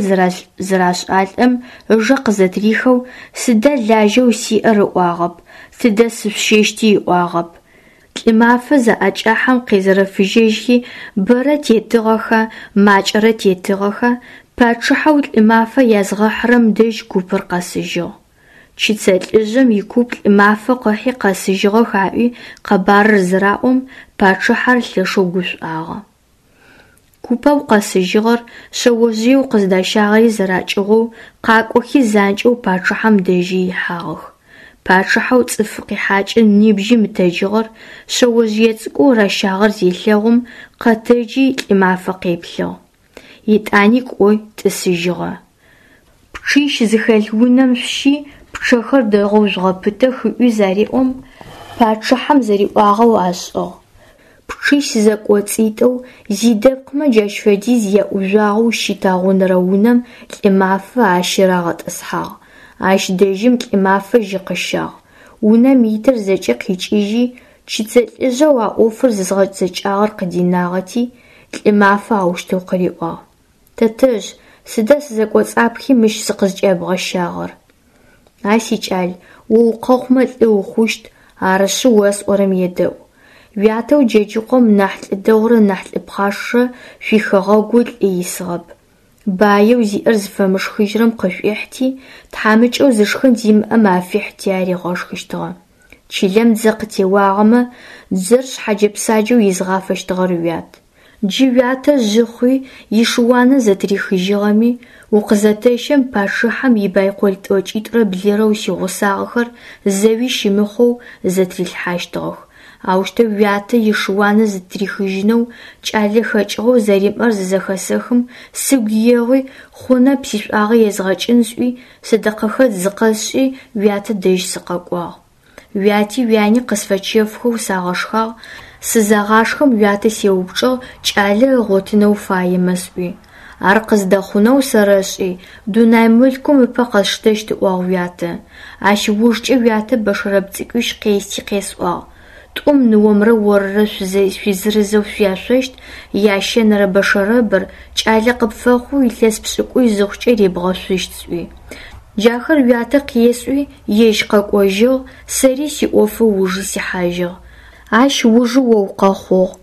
зырашӏалӏэм ыжэ къызэтырихэу «Сыда лажьэу сиӏэр?» ыӏуагъэп, «Тыдэ сышъущэщти?» ыӏуагъэп. Лӏымафэ заӏэкӏахьэм къезэрэфыжьэжьхи, бэрэ тетыгъэха, макӏэрэ тетыгъэха, пачъыхьэу Лӏымафэ язгъэхьырэм дэжь купыр къэсыжьыгъ. Чыцэ лӏыжъым икуп Лӏымафэ къыхьи къэсыжьыгъэх аӏуи къэбарыр зыраӏом, пачъыхьэр лъэшэу гушӏуагъэ. Купэу къэсыжьыгъэр, шъэожъыеу къыздащагъэри зэракӏыгъоу, къакӏохи занкӏэу пачъыхьэм дэжьы ихьагъэх. Пачъыхьэу цӏыф къихьакӏэ нибжьи мытэджыгъэр, шъэожъые цӏыкӏоу ращагъэр зелъэгъум, къэтэджи Лӏымафэ къеплъыгъ. Етӏани кӏои тӏысыжьыгъэ. Пчъищ зыхэлъ унэм шъущи, Пчъэхэр дэгъоу жъугъэпытэх ыӏуи зареӏом, пачъыхьэм зэриӏуагъэу ашӏыгъ. Пчъищ зэкӏоцӏитӏоу, зидэпкъмэ джащ фэдиз яӏужъуагъэу щыт агъунэрэ унэм Лӏымафэ ащырагъэтӏысхьагъ. Ащ дэжьым Лӏымафэ жьы къыщагъ. Унэм итыр зэкӏэ къикӏыжьи, чыцэ лӏыжъэу а ӏофыр зызгъэцэкӏагъэр къыдинагъэти, Лӏымафэ аущтэу къыриӏуагъ: «Тэтэжъ, сыда сызэкӏоцӏапхи мыщ сыкъызкӏябгъэщагъэр?» «А сикӏал, о укъэхъумэ лӏы ухъущт, арышъы осӏорэм едэӏу. Уятэу Джэджыкъом нахь лӏы дэгъурэ нахь лӏы пхъашэрэ шъуихэгъэгу лӏы исыгъэп. Баеу зиӏэр зыфэмышхыжьырэм къышӏуихьти, тхьамыкӏэу зышхын зимыӏэм афихьти аригъэшхыщтыгъэ. Чылэм дзэ къытеуагъэмэ, дзэр шъхьэджэ-псаджэу изыгъафэщтыгъэр уят. Джы уятэ жъы хъуи ишыуанэ зэтырихыжьыгъэми, укъызэтэщэм пачъыхьэм ибайкол тӏокӏитӏурэ блырэу сигъусагъэхэр зэуи щымыхъоу зэтырилъхьащтыгъэх. Аущтэу уятэ ишыуанэ зытырихыжьынэу кӏалэ хэкӏыгъэу зэримыӏэр зызэхэсэхым, сыгу егъуи, хъунэп сишӏуагъэ езгъэкӏын сӏуи, сэдэкъэхэдз зыкъэсшӏи уятэ дэжь сыкъэкӏуагъ. Уяти уяни къысфэчэфхэу сагъэшхагъ, сызагъашхэм уятэ сеупчӏыгъ кӏалэ ыгъотынэу фаемэ сӏуи. Ар къыздэхъунэу сэрэшӏи, дунай мылъкум ыпэ къэсштэщт ыӏуагъ уятэ. Ащ ыужкӏэ уятэ бэшэрэб цӏыкӏуищ къести къесӏуагъ: тӏум ныомрэ орырэ шъуизырызэу шъуяшъощт, ящэнэрэ бэшэрэбыр кӏалэ къыпфэхъоу илъэс пшӏыкӏуй зыхъукӏэ ребгъэшъущт сӏуи. Джахэр уятэ къесӏуи, ежь къэкӏожьыгъ, сэри сиӏофы ыужы сихьажьыгъ. Ащ ыужы о укъэхъугъ.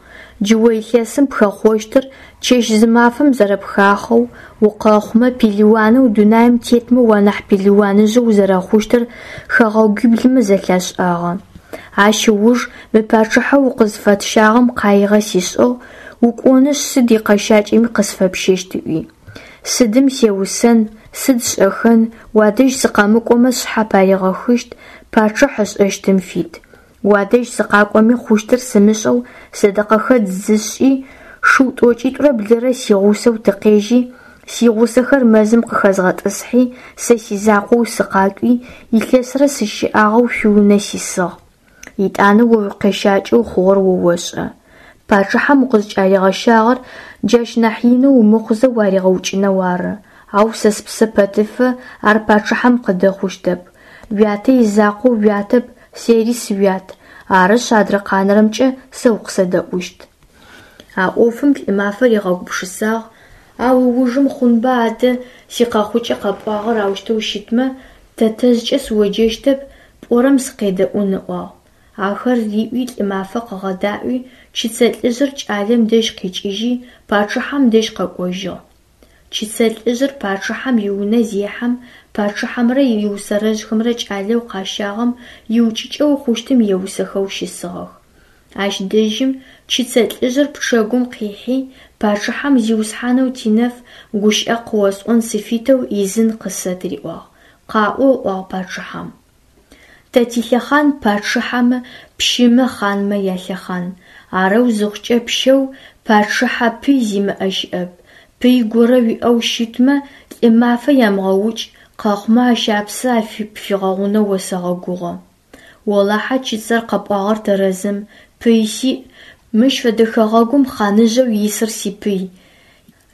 Джы о илъэсым пхэхъощтыр чэщ-зымафэм зэрэпхахъоу, укъэхъумэ пелыуанэу дунаим тетмэ уанахь пелыуаныжьэу узэрэхъущтыр хэгъэгуиблымэ зэлъашӏагъэ. Ащ ыуж мы пачъыхьэу укъызфэтщагъэм къаигъэ сишӏыгъ, укӏонышъ сыд икъэщакӏэми къысфэпщэщт ыӏуи. Сыдым сеусэн, сыд сшӏэхэн, уадэжь сыкъэмыкӏомэ сшъхьэ паригъэхыщт, пачъыхь ышӏэщтым фит. Уадэжь сыкъакӏоми хъущтыр сымышӏэу сэдэкъэхэдз зысшӏи, шыу тӏокӏитӏурэ блырэ сигъусэу тыкъежьи, сигъусэхэр мэзым къыхэзгъэтӏысхьи, сэ сизакъоу сыкъакӏуи, илъэсрэ сыщыӏагъэу шъуиунэ сисыгъ. Етӏанэ о уикъэщакӏэу хъугъэр о ошӏэ. Пачъыхьэм укъызкӏаригъэщагъэр джащ нахь инэу умыхъузэ уаригъэукӏынэу ары, ау сэ спсэ пэтыфэ ар пачъыхьэм къыдэхъущтэп. Уятэ изакъоу уятэп, сэри сыуят, арышъ адрэ къанэрэмкӏэ сэ укъысэдэӏущт. А ӏофым Лӏымафэ ригъэгупшысагъ, ау ыужым хъунба адэ сикъэхъукӏэ къэпӏуагъэр аущтэу щытмэ, тэтэжъкӏэ сыоджэщтэп, пӏорэм сыкъедэӏун ыӏуагъ. Ахэр риӏуи Лӏымафэ къыгъэдаӏуи, чыцэ лӏыжъыр кӏалэм дэжь къикӏыжьи, пачъыхьэм дэжь къэкӏожьыгъ. Чыцэ лӏыжъыр пачъыхьэм иунэ зехьэм, пачъыхьэмрэ иусэрэжъхэмрэ кӏалэу къащагъэм иукӏыкӏэу хъущтым еусэхэу щысыгъэх. Ащ дэжьым чыцэ лӏыжъыр пчэгум къихьи, пачъыхьэм зиусхьанэу тинэф гущыӏэ къыосӏон сыфитэу ӏизын къысэт риӏуагъ. Къаӏо, ыӏуагъ пачъыхьэм. Тэ тилъэхъан пачъыхьэмэ, пщымэ, хъанмэ ялъэхъан. Арэу зыхъукӏэ пщэу, пачъыхьэ пый зимыӏэ щыӏэп. Пый горэ уиӏэу щытмэ, Лӏымафэ ямыгъэукӏ, къэхъумэ ащ апсэ пфигъэгъунэу осэгъэгугъэ. Олахьэ чыцэр къэпӏуагъэр тэрэзым, пый сиӏ, мыщ фэдэ хэгъэгум хъаныжъэу исыр сипый.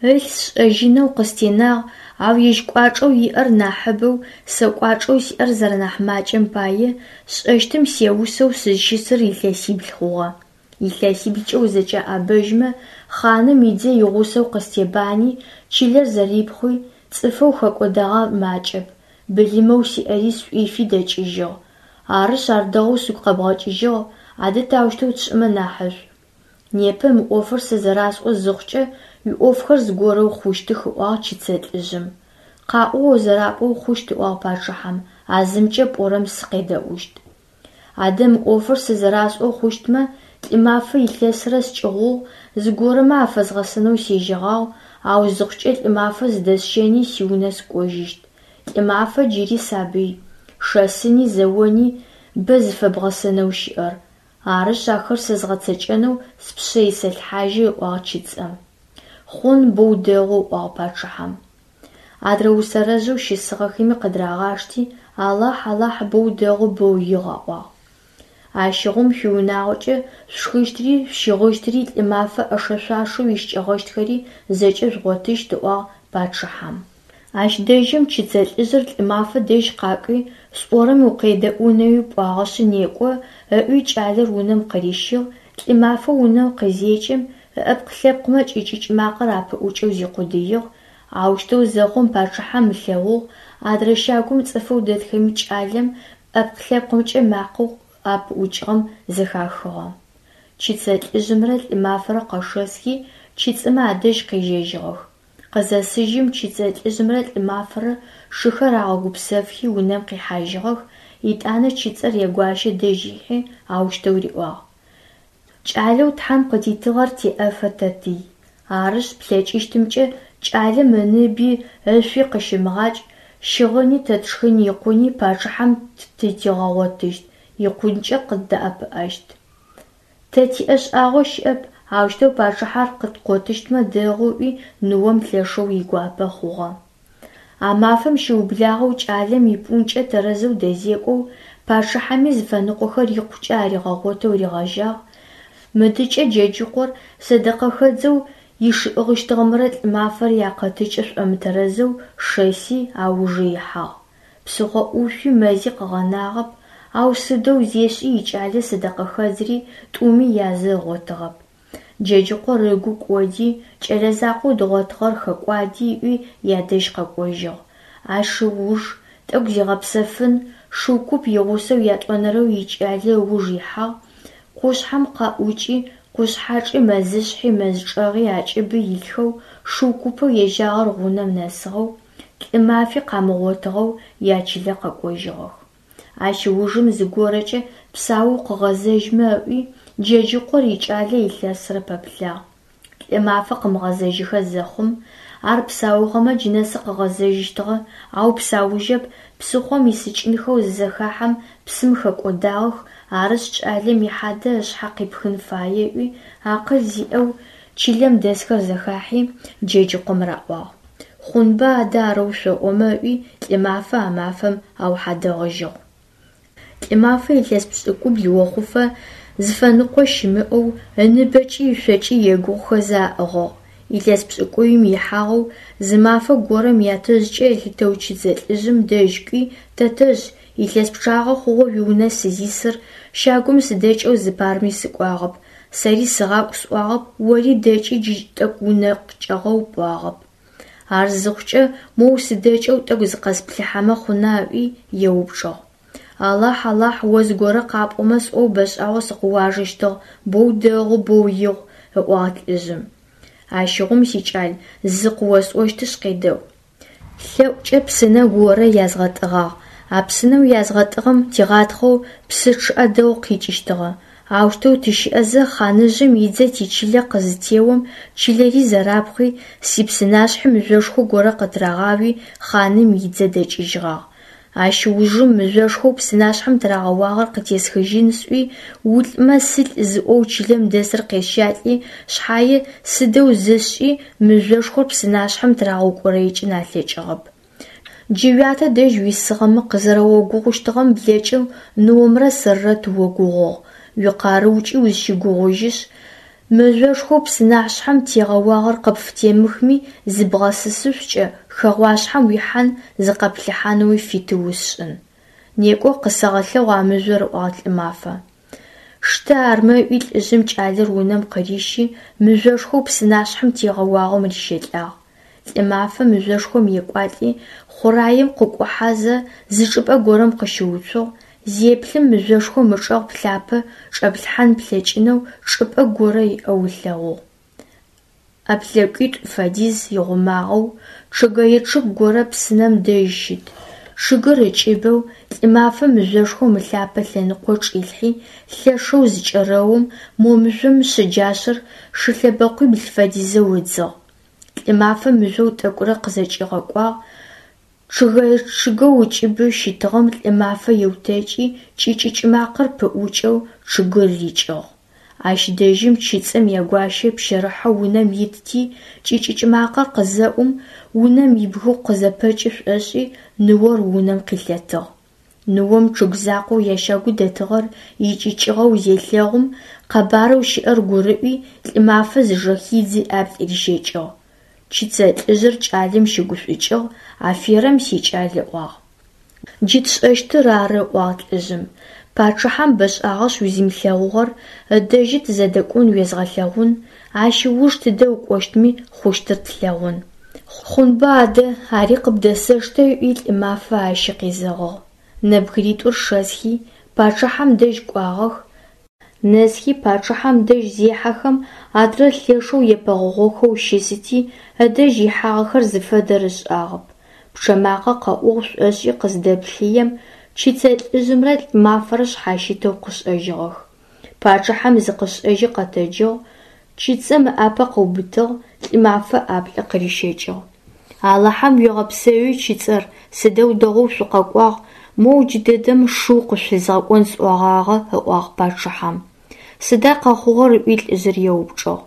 Ылъ сшӏэжьынэу къыстенагъ, ау ежь кӏуачӏэу иӏэр нахьыбэу, сэ кӏуачӏэу сиӏэр зэрэнахь макӏэм пае, сшӏэщтым сеусэу сызщысыр илъэсибл хъугъэ. Илъэсиблкӏэ узэкӏэӏэбэжьмэ, хъаным идзэ игъусэу къыстебани, чылэр зэрипхъуи, цӏыфэу хэкӏодагъэр макӏэп, былымэу сиӏэри сшӏуифи дэкӏыжьыгъ. Арышъ ар дэгъоу сыгу къэбгъэкӏыжьыгъ, адэ таущтэу тшӏымэ нахьышӏу? Непэ мы ӏофыр сэ зэрасӏо зыхъукӏэ, уиӏофхэр зыгорэу хъущтых, ыӏуагъ чыцэ лӏыжъым. Къаӏо о зэрапӏоу хъущт, ыӏуагъ пачъыхьэм, а зымкӏэ пӏорэм сыкъедэӏущт. Адэ мы ӏофыр сэ зэрасӏоу хъущтмэ, Лӏымафэ илъэсрэ скӏыгъугъ, зыгорэмэ афэзгъэсэнэу сежьэгъагъ, ау зыхъукӏэ Лӏымафэ зыдэсщэни сиунэ сыкӏожьыщт. Лӏымафэ джыри сабый, шэсыни зэони бэ зыфэбгъэсэнэу щыӏэр. Арышъ ахэр сэ згъэцэкӏэнэу спшъэ исэлъхьажьы, ыӏуагъ чыцэм. Хъун боу дэгъу, ыӏуагъ пачъыхьэм. Адрэ усэрэжъэу щысыгъэхэми къыдырагъашти, Алахь, Алахь, боу дэгъу, боу игъу, аӏуагъ. Ащыгъум шъуиунагъокӏэ шъушхыщтыри, шъущыгъыщтыри, Лӏымафэ ӏэшэ-шъуашэу ищыкӏэгъэщтхэри зэкӏэ жъугъотыщт, ыӏуагъ пачъыхьэм. Ащ дэжьым чыцэ лӏыжъыр Лӏымафэ дэжь къакӏуи, сӏорэм укъедэӏунэуи пӏуагъэшъы некӏо, ыӏуи кӏалэр унэм къырищыгъ. Лӏымафэ унэм къызекӏым, ыӏэпкъ-лъэпкъмэ кӏыкӏыкӏ макъэр апыӏукӏэу зикъудыигъ. Аущтэу зэхъум пачъыхьэм ылъэгъугъ, адрэ щагум цӏыфэу дэтхэми кӏалэм ӏэпкъ-лъэпкъымкӏэ макъэу апыӏукӏыгъэм зэхахыгъэ. Чыцэ лӏыжъымрэ Лӏымафэрэ къэшэсхи чыцӏымэ адэжь къежьэжьыгъэх. Къызэсыжьым чыцэ лӏыжъымрэ Лӏымафэрэ шыхэр агъэгупсэфхи унэм къихьажьыгъэх, етӏанэ чыцӏэр ягуащэ дэжь ихьи аущтэу риӏуагъ: Кӏалэу Тхьэм къытитыгъэр теӏэфэ тэтый. Арышъ, плъэкӏыщтымкӏэ кӏалэм ыныби ышъуи къыщымыгъакӏ, щыгъыни тэ тшхын икъуни пачъыхьэм тытигъэгъотыщт, икъункӏэ къыддэӏэпыӏэщт. Тэ тиӏэ шӏагъо щыӏэп, аущтэу пачъыхьэр къыткъотыщтмэ дэгъу, ыӏуи ныом лъэшэу игуапэ хъугъэ. А мафэм щыублагъэу кӏалэм ипӏункӏэ тэрэзэу дэзекӏоу, пачъыхьэми зыфэныкъохэр икъукӏэ аригъэгъотэу ригъэжьагъ. Мыдыкӏэ Джэджыкъор сэдэкъэхэдзэу ишыӏыгъыщтыгъэмрэ Лӏымафэрэ якъэтыкӏэ шӏомытэрэзэу шэси, аужы ихьагъ. Псыхъо ӏушъуи мэзи къыгъэнагъэп, ау сыдэу зешӏи икӏалэ сэдэкъэхэдзри тӏуми язы ыгъотыгъэп. Джэджыкъор ыгу кӏоди, кӏэлэ закъоу дгъотыгъэр хэкӏуади ыӏуи ядэжь къэкӏожьыгъ. Ащ ыуж тӏэкӏу зигъэпсэфын, шыу куп игъусэу ятӏонэрэу икӏалэ ыуж ихьагъ, къушъхьэм къаӏукӏи, къушъхьэчӏи, мэзышъхьи, мэз чӏэгъи акӏыбы илъхэу, шыу купэу ежьагъэр гъунэм нэсыгъэу, Лӏымафи къамыгъотыгъэу ячылэ къэкӏожьыгъэх. Ащ ыужым зыгорэкӏэ псаоу къыгъэзэжьмэ ыӏуи, Джэджыкъор икӏалэ илъэсрэ пэплъагъ. Лӏымафэ къымыгъэзэжьыхэ зэхъум, ар псаугъэмэ джынэсы къыгъэзэжьыщтыгъэ, ау псаужьэп, псыхъом исыкӏынхэу зызэхахьэм псым хэкӏодагъэх, арышъ кӏалэм ихьадэ ышъхьэ къипхын фае ыӏуи, акъыл зиӏэу чылэм дэсхэр зэхахьи Джэджыкъом раӏуагъ. Хъунба адэ арэу шъоӏомэ ыӏуи Лӏымафэ а мафэм аухьадэгъыжьыгъ. Лӏымафэ илъэс пшӏыкӏубл охъуфэ зыфэныкъо щымыӏэу, ыныбэкӏи ышъокӏи егугъухэзэ аӏыгъыгъ. Илъэс пшӏыкӏуим ихьагъэу зы мафэ горэм ятэжъкӏэ ылъытэу чыцэ лӏыжъым дэжь кӏуи: «Тэтэжъ, илъэс пчъагъэ хъугъэу уиунэ сызисыр, щагум сыдэкӏэу зыпарми сыкӏуагъэп, сэри сыгъакӏу сӏуагъэп, ори дэкӏи джы тӏэкӏу унэ къыкӏэгъэу пӏуагъэп. Ар зыхъукӏэ моу сыдэкӏэу тӏэкӏу зыкъэсплъыхьэмэ хъуна?» ыӏуи еупчӏыгъ. «Алахь, Алахь, о зыгорэ къапӏомэ сӏоу бэшӏагъэу сыкъыуажэщтыгъ, боу дэгъу, боу игъу», ыӏуагъ лӏыжъым. «Ащыгъум, сикӏал, зы къыосӏощтышъ къедэӏу. Лъэӏукӏэ псынэ горэ язгъэтӏыгъагъ. А псынэу язгъэтӏыгъэм тигъатхъэу псы чъыӏэ дэгъу къикӏыщтыгъэ. Аущтэу тыщыӏэзэ хъаныжъым идзэ тичылэ къызытеом, чылэри зэрапхъуи, сипсынашъхьи мыжъошхо горэ къытырагъауи хъаным идзэ дэкӏыжьыгъагъ. Ащ ыужым мыжъошхоу псынашъхьэм тырагъэуагъэр къытесхыжьын сӏуи, улӏмэ сылӏ зыӏоу чылэм дэсыр къесщалӏи шъхьае, сыдэу зысшӏи мыжъошхор псынашъхьэм тырагъэукӏорэикӏын алъэкӏыгъэп. Джы уятэ дэжь уисыгъэмэ къызэрэогугъущтыгъэм блэкӏэу ныомрэ сэрырэ тыогугъугъ, уикъарыукӏи узщэгугъыжьышъ, мыжъошхоу псынашъхьэм тегъэуагъэр къыпфытемыхми зыбгъэсысышъукӏэ, хэгъуашъхьэм уихьан, зыкъэпплъыхьанэуи фиты усшӏын. Некӏо, къысэгъэлъэгъу а мыжъор, ыӏуагъ Лӏымафэ. Штэ армэ ыӏуи лӏыжъым кӏалэр унэм къырищи, мыжъошхоу псынашъхьэм тегъэуагъэм рищэлӏагъ. Лӏымафэ мыжъошхом екӏуалӏи, хъураем къыкӏухьэзэ зы чӏыпӏэ горэм къыщыуцугъ, зеплъым мыжъошхом ычӏэгъ плъапэ чӏэплъхьан плъэкӏынэу чӏыпӏэ горэ иӏэу ылъэгъугъ. ӏэплъэкӏитӏу фэдиз игъумагъэу чъыгэе чъыг горэ псынэм дэжь щыт. Чъыгыр ыкӏыбэу Лӏымафэ мыжъошхом ылъапэ лъэныкъо чӏилъхьи, лъэшэу зыкӏэрэум, мо мыжъом шъэджашъэр шылъэбэкъуибл фэдизэу ыдзыгъ. Лӏымафэ мыжъоу тӏэкӏурэ къызэкӏигъэкӏуагъ, чъыгэе чъыгэу ыкӏыбы щытыгъэм Лӏымафэ еутэкӏи, кӏыкӏыкӏ макъэр пыӏукӏэу чъыгыр рикӏыгъ. Ащ дэжьым чыцӏым ягуащэ пщэрыхьэу унэм итти, кӏыкӏыкӏ макъэр къызэӏум, унэм ибгыгъу къызэпэкӏы шӏошӏи, ныор унэм къилъэтыгъ. Ныом чъыг закъоу ящагу дэтыгъэр икӏыкӏыгъэу зелъэгъум, къэбарэу щыӏэр гурыӏуи, Лӏымафэ зыжэхидзи ӏаплӏ рищэкӏыгъ. Чыцэ лӏыжъыр кӏалэм щыгушӏукӏыгъ, аферэм, сикӏал, ыӏуагъ. Джы тшӏэщтыр ары, ыӏуагъ лӏыжъым. Пачъыхьэм бэшӏагъэшъ узимылъэгъугъэр, ыдэжьы тызэдэкӏон уезгъэлъэгъун, ащ ыуж тыдэ укӏощтми, хъущтыр тлъэгъун. Хъунба адэ, ари къыбдэсэштэ, ыӏуи Лӏымафэ ащи къезэгъыгъ. Нэбгыритӏур шэсхи, пачъыхьэм дэжь кӏуагъэх. Нэсхи пачъыхьэм дэжь зехьэхэм, адрэр лъэшэу епэгъогъохэу щысыти, ыдэжь ихьагъэхэр зыфэдэр ышӏагъэп. Пчъэ макъэ къэӏугъ шӏошӏи къыздэплъыем, Чыцэ лӏыжъымрэ Лӏымафэрэ шъхьащытэу къышӏэжьыгъэх. Пачъыхьэм зыкъышӏэжьи къэтэджыгъ, чыцэм ыӏапэ къыубытыгъ, Лӏымафэ ӏаплӏы къырищэкӏыгъ. Алахьэм уегъэпсэуи, чыцэр, сыдэу дэгъоу шъукъэкӏуагъ, моу джыдэдэм шыу къышъуфэзгъэкӏон сӏогъагъэ, ыӏуагъ пачъыхьэм. Сыда къэхъугъэр ыӏуи лӏыжъыр еупчӏыгъ.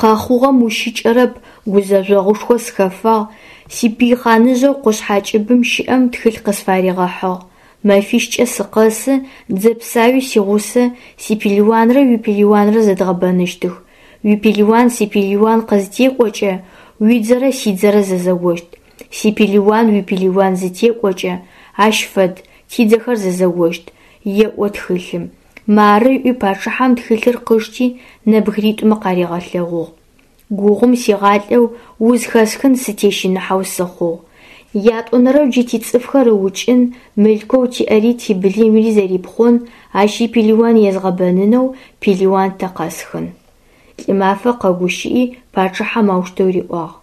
Къэхъугъэм ущыкӏэрэп, гузэжъогъушхо сыхэфагъ, сипый хъаныжъэу къушъхьэ кӏыбым щыӏэм тхылъ къысфаригъэхьыгъ: мэфищкӏэ сыкъэсы, дзэ псауи сигъусэ, сипелыуанрэ уипелыуанрэ зэдгъэбэныщтых. Уипелыуан сипелыуан къызытекӏокӏэ, уидзэрэ сидзэрэ зэзэощт. Сипелыуан уипелыуан зытекӏокӏэ, ащ фэд, тидзэхэр зэзэощт, еӏо тхылъым. Мары ыӏуи пачъыхьэм тхылъыр къышти нэбгыритӏумэ къаригъэлъэгъугъ. Гугъум сигъалӏэу, уз хэсхын сытещыныхьэу сыхъугъ. Ятӏонэрэу джы тицӏыфхэр ыукӏын, мылъкоу тиӏэри тибылымри зэрипхъон, ащ ипелыуан езгъэбэнынэу пелыуан тэ къэсхын. Лӏымафэ къэгущыӏи пачъыхьэм аущтэу риӏуагъ: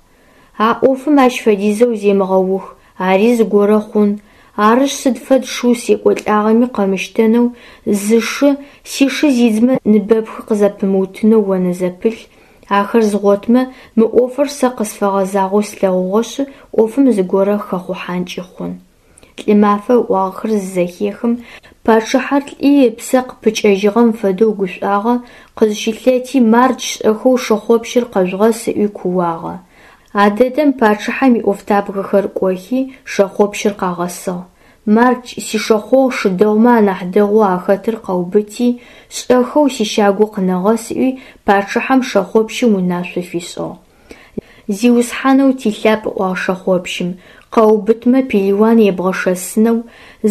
А ӏофым ащ фэдизэу земыгъэух, ари зыгорэ хъун. Арышъ, сыд фэд шыу секӏолӏагъэми къэмыщтэнэу зы шы, сишы зидзмэ ныбэпхы къызэпымыутынэу онэзэпылъ, ахэр згъотмэ, мы ӏофыр сэ къысфэгъэзагъэу слъэгъугъэшъ, ӏофым зыгорэ хэхъухьанкӏи хъун. Лӏымафэ ыӏуагъэхэр зызэхехым, пачъыхьэр лӏи ыпсэ къыпыкӏэжьыгъэм фэдэу гушӏуагъэ, къызщылъэти, мардж шӏэхэу шэхъопщыр къэжъугъэс ыӏуи кууагъэ. А дэдэм пачъыхьэм иӏофтабгэхэр кӏохи, шэхъопщыр къагъэсыгъ. Мардж, сишэхъогъу шы дэгъумэ анахь дэгъоу ахэтыр къэубыти, шӏэхэу сищагу къынэгъэс, ыӏуи пачъыхьэм шэхъопщым унашъо фишӏыгъ. Зиусхьанэу тилъапӏ, ыӏуагъ шэхъопщым, къэубытмэ пелыуан ебгъэшэсынэу,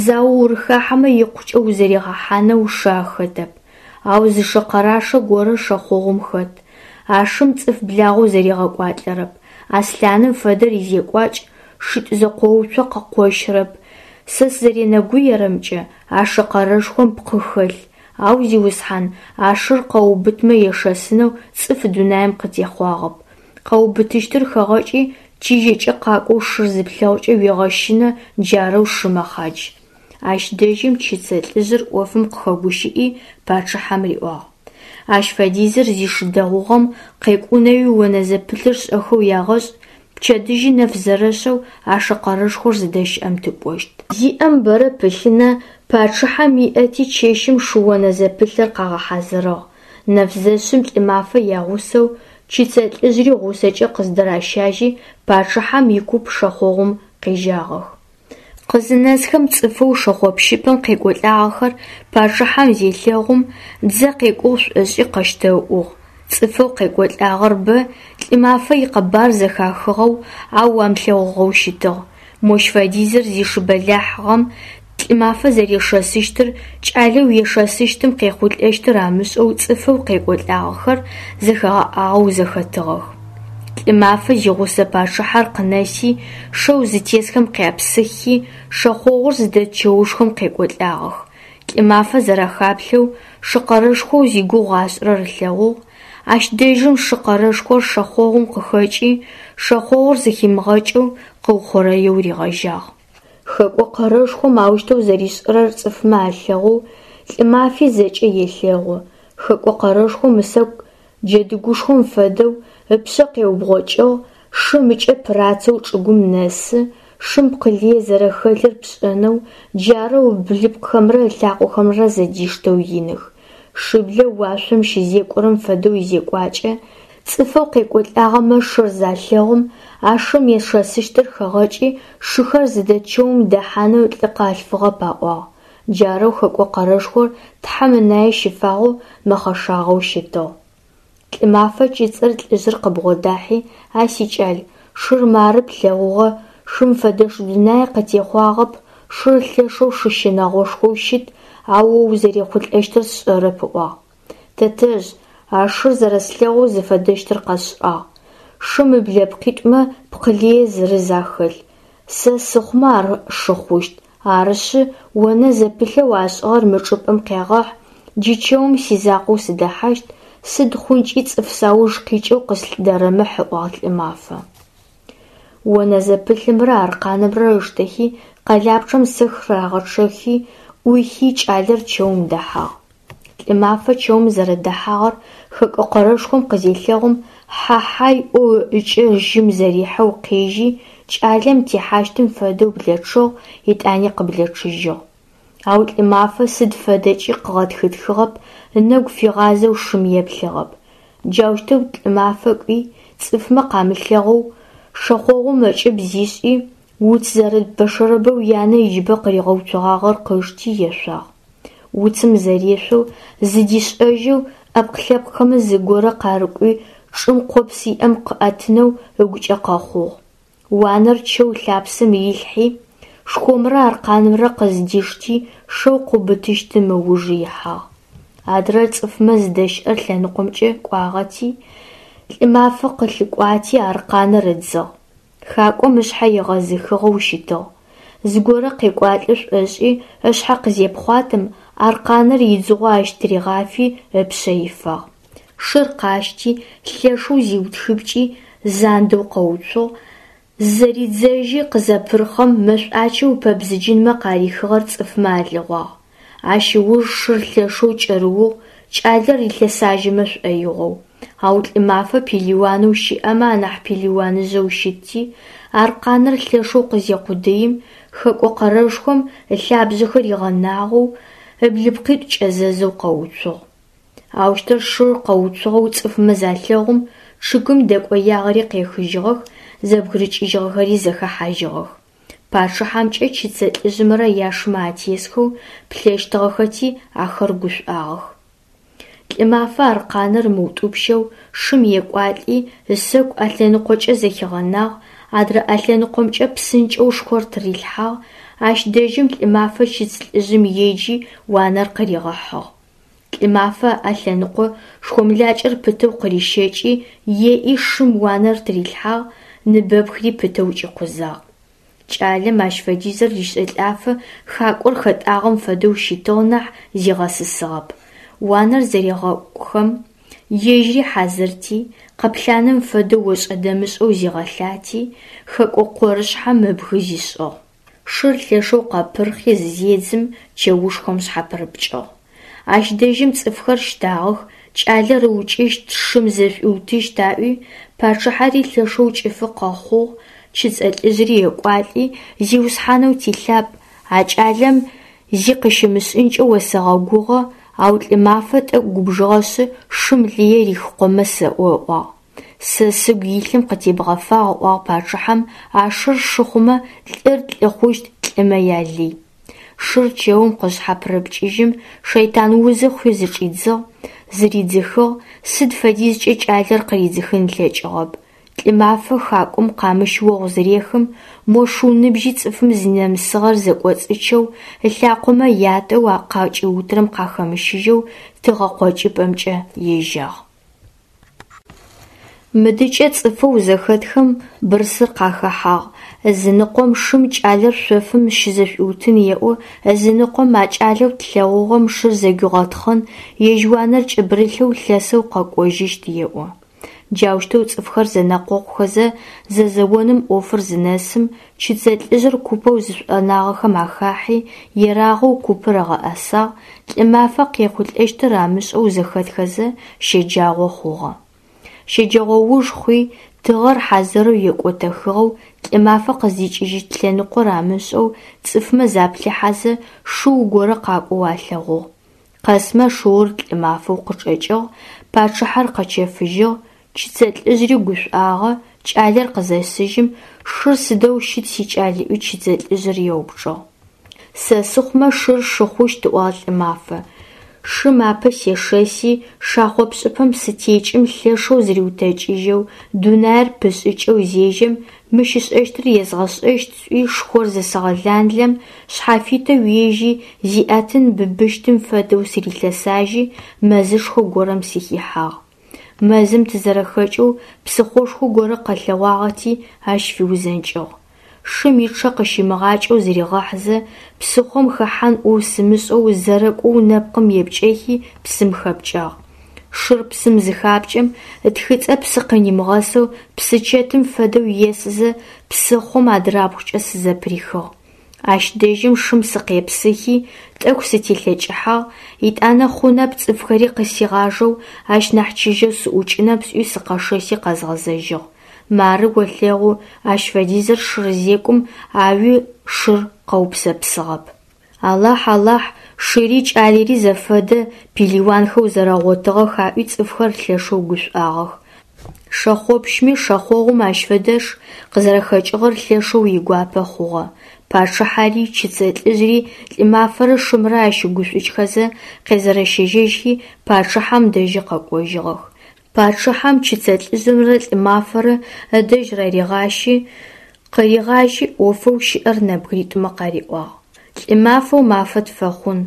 зао урыхахьэмэ икъукӏэ узэригъэхьанэу шы ахэтэп. Ау зы шы къэрашэ горэ шэхъогъум хэт. А шым цӏыф благъэу зэригъэкӏуалӏэрэп. Аслъаным фэдэр изекӏуакӏ, шитӏу зэкъоуцо къыкъощырэп. Сэ сызэренэгуерэмкӏэ, а шы къэрэшхом пкъы хэлъ, ау, зиусхьан, а шыр къэуубытмэ ешэсынэу цӏыф дунаим къытехъуагъэп. Къэуубытыщтыр хэгъэкӏи, чыжьэкӏэ къакӏоу шыр зыплъэгъукӏэ уегъэщынэ, джарэу шы мэхъадж. Ащ дэжьым чыцэ лӏыжъыр ӏофым къыхэгущыӏи, пачъыхьэм риӏуагъ: Ащ фэдизыр зишы дэгъугъэм къекӏунэуи онэзэпылъыр шӏэхэу ягъэшӏ, пчэдыжьы нэф зэрэшъэу а шы къэрэшхор зыдэщыӏэм тыкӏощт. Зиӏэм бэрэ пылъына, пачъыхьэм иӏэти чэщым шы онэзэпылъыр къагъэхьазырыгъ. Нэфзэшъым Лӏымафэ ягъусэу, чыцэ лӏыжъри гъусэкӏэ къыздыращажьи, пачъыхьэм икуп шэхъогъум къежьагъэх. Къызынэсхэм цӏыфэу шэхъопщыпӏэм къекӏолӏагъэхэр пачъыхьэм зелъэгъум, дзэ къекӏугъ шӏошӏи къэщтэуӏугъ. Цӏыфэу къекӏолӏагъэр бэ, Лӏымафэ икъэбар зэхахыгъэу, ау амылъэгъугъэу щытыгъ. Мощ фэдизыр зишы бэлахьыгъэм Лӏымафэ зэрешэсыщтыр, кӏалэу ешэсыщтым къехъулӏэщтыр амышӏэу цӏыфэу къекӏолӏагъэхэр зэхэгъэӏагъэу зэхэтыгъэх. Лӏымафэ зигъусэ пачъыхьэр къынэси, шэу зытесхэм къяпсыхи, шэхъогъур зыдэт чэушхом къекӏолӏагъэх. Лӏымафэ зэрахаплъэу шы къэрэшхоу зигугъу ашӏырэр ылъэгъугъ. Ащ дэжьым шы къэрэшхор шэхъогъум къыхэкӏи, шэхъогъур зэхимыгъэкӏэу къыухъурэеу ригъэжьагъ. Хэкӏо къэрэшхом аущтэу зэришӏырэр цӏыфмэ алъэгъоу, Лӏымафи зэкӏэ елъэгъу. Хэкӏо къэрэшхом ысэку джэдыгушхом фэдэу ыпшъэ къеубгъокӏыгъ, шым ыкӏэ пырацэу чӏыгум нэсы, шым пкъы лые зэрэхэлъыр пшӏэнэу, джарэу ыблыпкъхэмрэ ылъакъохэмрэ зэдиштэу иных. Шыблэу уашъом щызекӏорэм фэдэу изекӏуакӏэ, Цӏыфэу къекӏолӏагъэмэ шыр залъэгъум, а шым ешэсыщтыр хэгъэкӏи, шыхэр зыдэт чэум дэхьанэу лӏы къалъфыгъэп аӏуагъ. Джарэу Хэкӏо Къэрэшхор Тхьэм ынае щыфагъэу, мэхъэшагъэу щытыгъ. Лӏымафэ чыцӏыр лӏыжъыр къыбгъодахьи: «А сикӏал, шыр мары плъэгъугъэ, шым фэдэш дунае къытехъуагъэп, шыр лъэшэу шы щынэгъошхоу щыт, ау о узэрехъулӏэщтыр сшӏэрэп», ыӏуагъ. «Тэтэжъ, а шыр зэрэслъэгъоу зыфэдэщтыр къэсшӏагъ. Шым ыблэпкъитӏумэ пкъы лые зырыз ахэлъ. Сэ сыхъумэ ар шы хъущт. Арышъы, онэ зэпылъэу ашӏыгъэр мы чӏыпӏэм къягъахь, джы чэум сизакъоу сыдэхьащт, сыд хъункӏи цӏыф сауж къикӏэу къыслъыдэрэмыхь», ыӏуагъ Лӏымафэ. Онэ зэпылъымрэ аркъэнымрэ ыштэхи, къэлапчъэм сэху рагъэчъэхи, ӏуихи, кӏалэр чэум дэхьагъ. Лӏымафэ чэум зэрэдэхьагъэр Хэкӏо Къэрэшхом къызелъэгъум, хьа-хьай ӏоу ыкӏэ жьым зэрихьэу къежьи, кӏалэм техьащтым фэдэу блэчъыгъ, етӏани къыблэчъыжьыгъ. Ау Лӏымафэ сыд фэдэкӏи къыгъэтхытхыгъэп, ынэгу фигъазэу шым еплъыгъэп. Джаущтэу Лӏымафэ кӏуи, цӏыфмэ къамылъэгъоу, шэхъогъум ыкӏыб зишӏи, уц зэрыт бэшэрэбэу янэ иджыбэ къыригъэуцогъагъэр къышти ешъуагъ. Уцым зэрешъоу, зыдишӏэжьэу, ӏэпкъ-лъэпкъхэмэ зыгорэ къарыкӏуи чӏым къопс иӏэм къыӏэтынэу ыгукӏэ къэхъугъ. Уанэр чэу лъапсэм рилъхьи, шхомрэ аркъэнымрэ къыздишти, шэу къыубытыщтым ыуж ихьагъ. Адрэр цӏыфмэ зыдэщыӏэ лъэныкъомкӏэ кӏуагъэти, Лӏымафэ къылъыкӏуати аркъэныр ыдзыгъ. Хакӏом ышъхьэ егъэзыхыгъэу щытыгъ. Зыгорэ къекӏуалӏэ шӏошӏи, ышъхьэ къызепхъуатэм, аркъэныр идзыгъо ащ тыригъафи ыпшъэ ифагъ. Шыр къащти, лъэшэу зиутхыпкӏи, зандэу къэуцугъ, зызэридзэжьи къызэпырхъэм, мэшӏуачэу ыпэбзыджынмэ къарихыгъэр цӏыфмэ алъэгъуагъ. Ащ ыуж шыр лъэшэу кӏэрыугъ, кӏалэр рилъэсажьэмэ шӏоигъоу. Ау Лӏымафэ пелыуанэу щыӏэмэ анахь пелыуаныжъэу щытти, аркъэныр лъэшэу къызекъудыим, Хэкӏо Къэрэшхом ылъабжъэхэр игъэнагъэу, ыблыпкъитӏу кӏэзэзэу къэуцугъ. Аущтэу шыр къэуцугъэу цӏыфмэ залъэгъум, чъыгым дэкӏоягъэри къехыжьыгъэх, зэбгырыкӏыжьыгъэхэри зэхэхьажьыгъэх. Пачъыхьэмкӏэ чыцэ лӏыжъымрэ яшымэ атесхэу плъэщтыгъэхэти, ахэр гушӏуагъэх. Лӏымафэ аркъэныр ымыутӏупщэу шым екӏуалӏи, ысэку ӏэлъэныкъокӏэ зэхигъэнагъ, адрэ ӏэлъэныкъомкӏэ псынкӏэу шхор тырилъхьагъ, ащ дэжьым Лӏымафэ чыц лӏыжъым еджи, уанэр къыригъэхьыгъ. Лӏымафэ ыӏэ лъэныкъо шхомлакӏэр пытэу къырищэкӏи, еӏи шым уанэр тырилъхьагъ, ныбэпхри пытэу кӏикъузагъ. Кӏалэм ащ фэдизыр ришӏэлӏафэ хакӏор хэтӏагъэм фэдэу щытыгъ нахь зигъэсысыгъэп. Уанэр зырегъэкӏухэм, ежьыри хьазырти, къэплъаным фэдэу ошӏэ-дэмышӏэу зигъэлъати, хэкӏо къорышъхьэм ыбгы зишӏыгъ. Шыр лъэшэу къэпырхъи зызедзым, чэушхом шъхьапырыпкӏыгъ. Ащ дэжьым цӏыфхэр щтагъэх, кӏалэр ыукӏыщт, шым зэшӏуиутыщт аӏуи, пачъыхьэри лъэшэу кӏыфы къэхъугъ, чыцӏэ лӏыжъыри екӏуалӏи: «Зиусхьанэу тилъапӏ, а кӏалэм зи къыщымышӏынкӏэ осэгъэгугъэ, ау Лӏымафэ тӏэкӏу губжыгъэшъы, шым лые рихыкъомэ сэӏо», ыӏуагъ. «Сэ сыгу илъым къытебгъэфагъ», ыӏуагъ пачъыхьэм, «а шыр шы хъумэ, лӏыр лӏы хъущт, лӏымэ ялый». Шыр чэум къызшъхьапырыпкӏыжьым, шэйтан узы хъуи зычӏидзыгъ, зыридзыхыгъ, сыд фэдизкӏэ кӏалэр къыридзыхын ылъэкӏыгъэп. Лӏымафэ хакӏом къамыщ огъу зырехым, мо шыу ныбжьи цӏыфым зынэмысыгъэр зэкӏоцӏычэу, ылъакъомэ ятӏэу къакӏиутырэм къахэмыщыжьэу тыгъэ къокӏыпӏэмкӏэ ежьагъ. Мыдыкӏэ цӏыфэу зэхэтхэм бырсыр къахэхьагъ: ызыныкъом шым кӏалэр шъофым щызэшӏуиутын еӏо, ызыныкъом а кӏалэу тлъэгъугъэм шыр зэгуигъэтхъын, ежь уанэр кӏыбырылъэу лъэсэу къэкӏожьыщт еӏо. Джаущтэу цӏыфхэр зэнэкъокъухэзэ зэзэоным ӏофыр зынэсым, чыцэ лӏыжъыр купэу зышӏонагъэхэм ахахьи, ерагъэу купыр ыгъэӏэсагъ, Лӏымафэ къехъулӏэщтыр амышӏэу зэхэтхэзэ, щэджагъо хъугъэ. Щэджэгъоуж хъуи, тыгъэр хьазырэу екӏотэхыгъэу, Лӏымафэ къыздикӏыжьыщт лъэныкъор амышӏэу цӏыфмэ заплъыхьэзэ, шыу горэ къакӏоу алъэгъугъ. Къэсмэ шыур Лӏымафэу къычӏэкӏыгъ, пачъыхьэр къэчэфыжьыгъ, Чыцэ лӏыжъыри гушӏуагъэ, кӏалэр къызэсыжьым, шыр сыдэу щыт сикӏал ыӏуи чыцэ лӏыжъыр еупчӏыгъ. Сэ сыхъумэ шыр шы хъущт, ыӏуагъ Лӏымафэ. Шым апэ сешэси, шахъо пшӏыпэм сытекӏым лъэшэу зыриутэкӏыжьэу, дунаир пышӏыкӏэу зежьэм, мыщ ышӏэщтыр езгъэшӏэщт сӏуи шхор зысэгъэланлэм, шъхьафитэу ежьи, зиӏэтын быбыщтым фэдэу сырилъэсажьи, мэзышхо горэм сыхихьагъ. Мэзым тызэрэхэкӏэу псыхъошхо горэ къэлъэгъуагъэти, ащ фиузэнкӏыгъ. Шым ичъэ къыщимыгъакӏэу зыригъэхьызэ, псыхъом хэхьан ӏоу сымышӏэу зэрэкӏоу нэпкъым епкӏэхи псым хэпкӏагъ. Шыр псым зыхапкӏэм, ытхыцӏэ псы къынимыгъэсэу псычэтым фэдэу есызэ псыхъом адырабгъукӏэ сызэпырихыгъ. Ащ дэжьым шым сыкъепсыхи, тӏэкӏу сытелъэкӏыхьагъ, етӏанэ хъунэп цӏыфхэри къысигъажэу ащ нахь чыжьэу сыӏукӏынэп сӏуи сыкъэшэси къэзгъэзэжьыгъ. Мары олъэгъу, ащ фэдизыр шыр зекӏум, ауи шыр къэупсэпсыгъэп. Алахь, Алахь, шыри кӏалэри зэфэдэ пелыуанхэу зэрэгъотыгъэх аӏуи цӏыфхэр лъэшэу гушӏуагъэх. Шэхъопщми шэхъогъум ащ фэдэш къызэрэхэкӏыгъэр лъэшэу игуапэ хъугъэ. Пачъыхьэри, чыцэ лӏыжъыри Лӏымафэрэ шымрэ ащыгушӏукӏхэзэ къезэрэщэжьыхи пачъыхьэм дэжьы къэкӏожьыгъэх. Пачъыхьэм чыцэ лӏыжъымрэ Лӏымафэрэ ыдэжь раригъащи, къыригъажьи ӏофэу щыӏэр нэбгыритӏумэ къариӏуагъ. Лӏымафэу мафэ тфэхъун,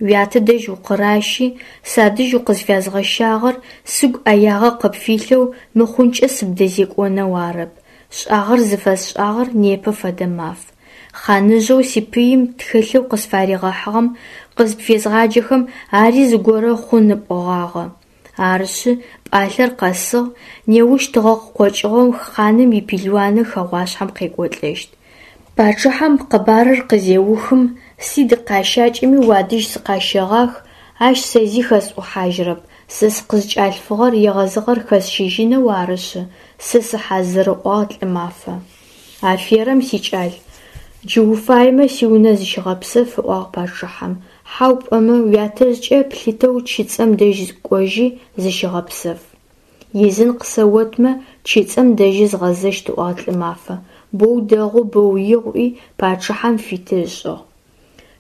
уятэ дэжь укъыращи, садэжь укъызфязгъэщагъэр сыгу ӏэягъэ къыпфилъэу мыхъункӏэ сыбдэзекӏонэу арэп, шӏагъэр зыфэсшӏагъэр непэ фэдэ маф. Хъаныжъэу сипыим тхылъэу къысфаригъэхьыгъэм къызпфезгъаджэхэм ари зыгорэ хъун пӏогъагъэ. Арышъы, пӏалъэр къэсыгъ, неущ тыгъэ къыкъокӏыгъом хъаным ипелыуаны хэгъуашъхьэм къекӏолӏэщт. Пачъыхьэм къэбарыр къызеухым, сыд къащакӏэми уадэжь сыкъащэгъах, ащ сэ зи хэсӏухьажьырэп, сэ сыкъызкӏалъфыгъэр егъэзыгъэр хэсщыжьынэу арышъы, сэ сыхьазыр, ыӏуагъ Лӏымафэ. Аферэм, сикӏал, джы уфаемэ сиунэ зыщыгъэпсэф, ыӏуагъ пачъыхьэм, хьау пӏомэ уятэжъкӏэ плъытэу чыцэм дэжь кӏожьи зыщыгъэпсэф. Изын къысэотмэ, чыцэм дэжьы згъэзэщт, ыӏуагъ Лӏымафэ. Боу дэгъу, боу игъу, ыӏуи пачъыхьэм фиты ышӏыгъ.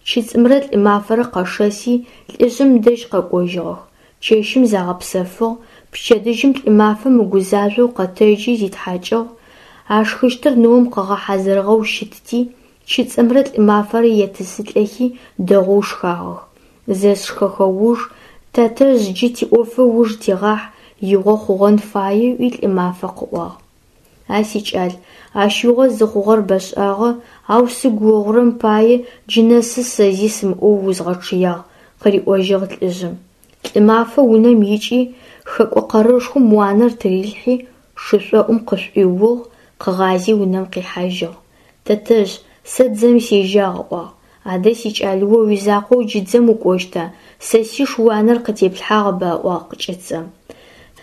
Чыцӏымрэ Лӏымафэрэ къэшэси лӏыжъым дэжь къэкӏожьыгъэх. Чэщым загъэпсэфыгъ, пчэдыжьым Лӏымафэ мыгузажъоу къэтэджи зитхьакӏыгъ, ашхыщтыр ныом къыгъэхьазырыгъэу щытти, чыцӏымрэ Лӏымафэрэ етӏысылӏэхи дэгъоу шхагъэх. Зэшхэхэ уж, тэтэжъ джы тиӏофы ыуж тигъахь, игъо хъугъэн фае, ыӏуи Лӏымафэ къыӏуагъ. А сикӏал, ащ игъо зыхъугъэр бэшӏагъэ, ау сыгу огъурэм пае джы нэсы сэ зи сымыӏоу узгъэчъыягъ, къыриӏожьыгъ лӏыжъым. Лӏымафэ унэм икӏи, хэкӏо къэрэшхом уанэр тырилъхьи, шышӏоӏум къышӏуиугъ, къыгъази унэм къихьажьыгъ. Тэтэжъ, сэ дзэм сежьагъ, ыӏуагъ. Адэ, сикӏал, о уизакъоу джы дзэм укӏощта, сэ сиш уанэр къытеплъхьагъэба, ыӏуагъ чыцэм.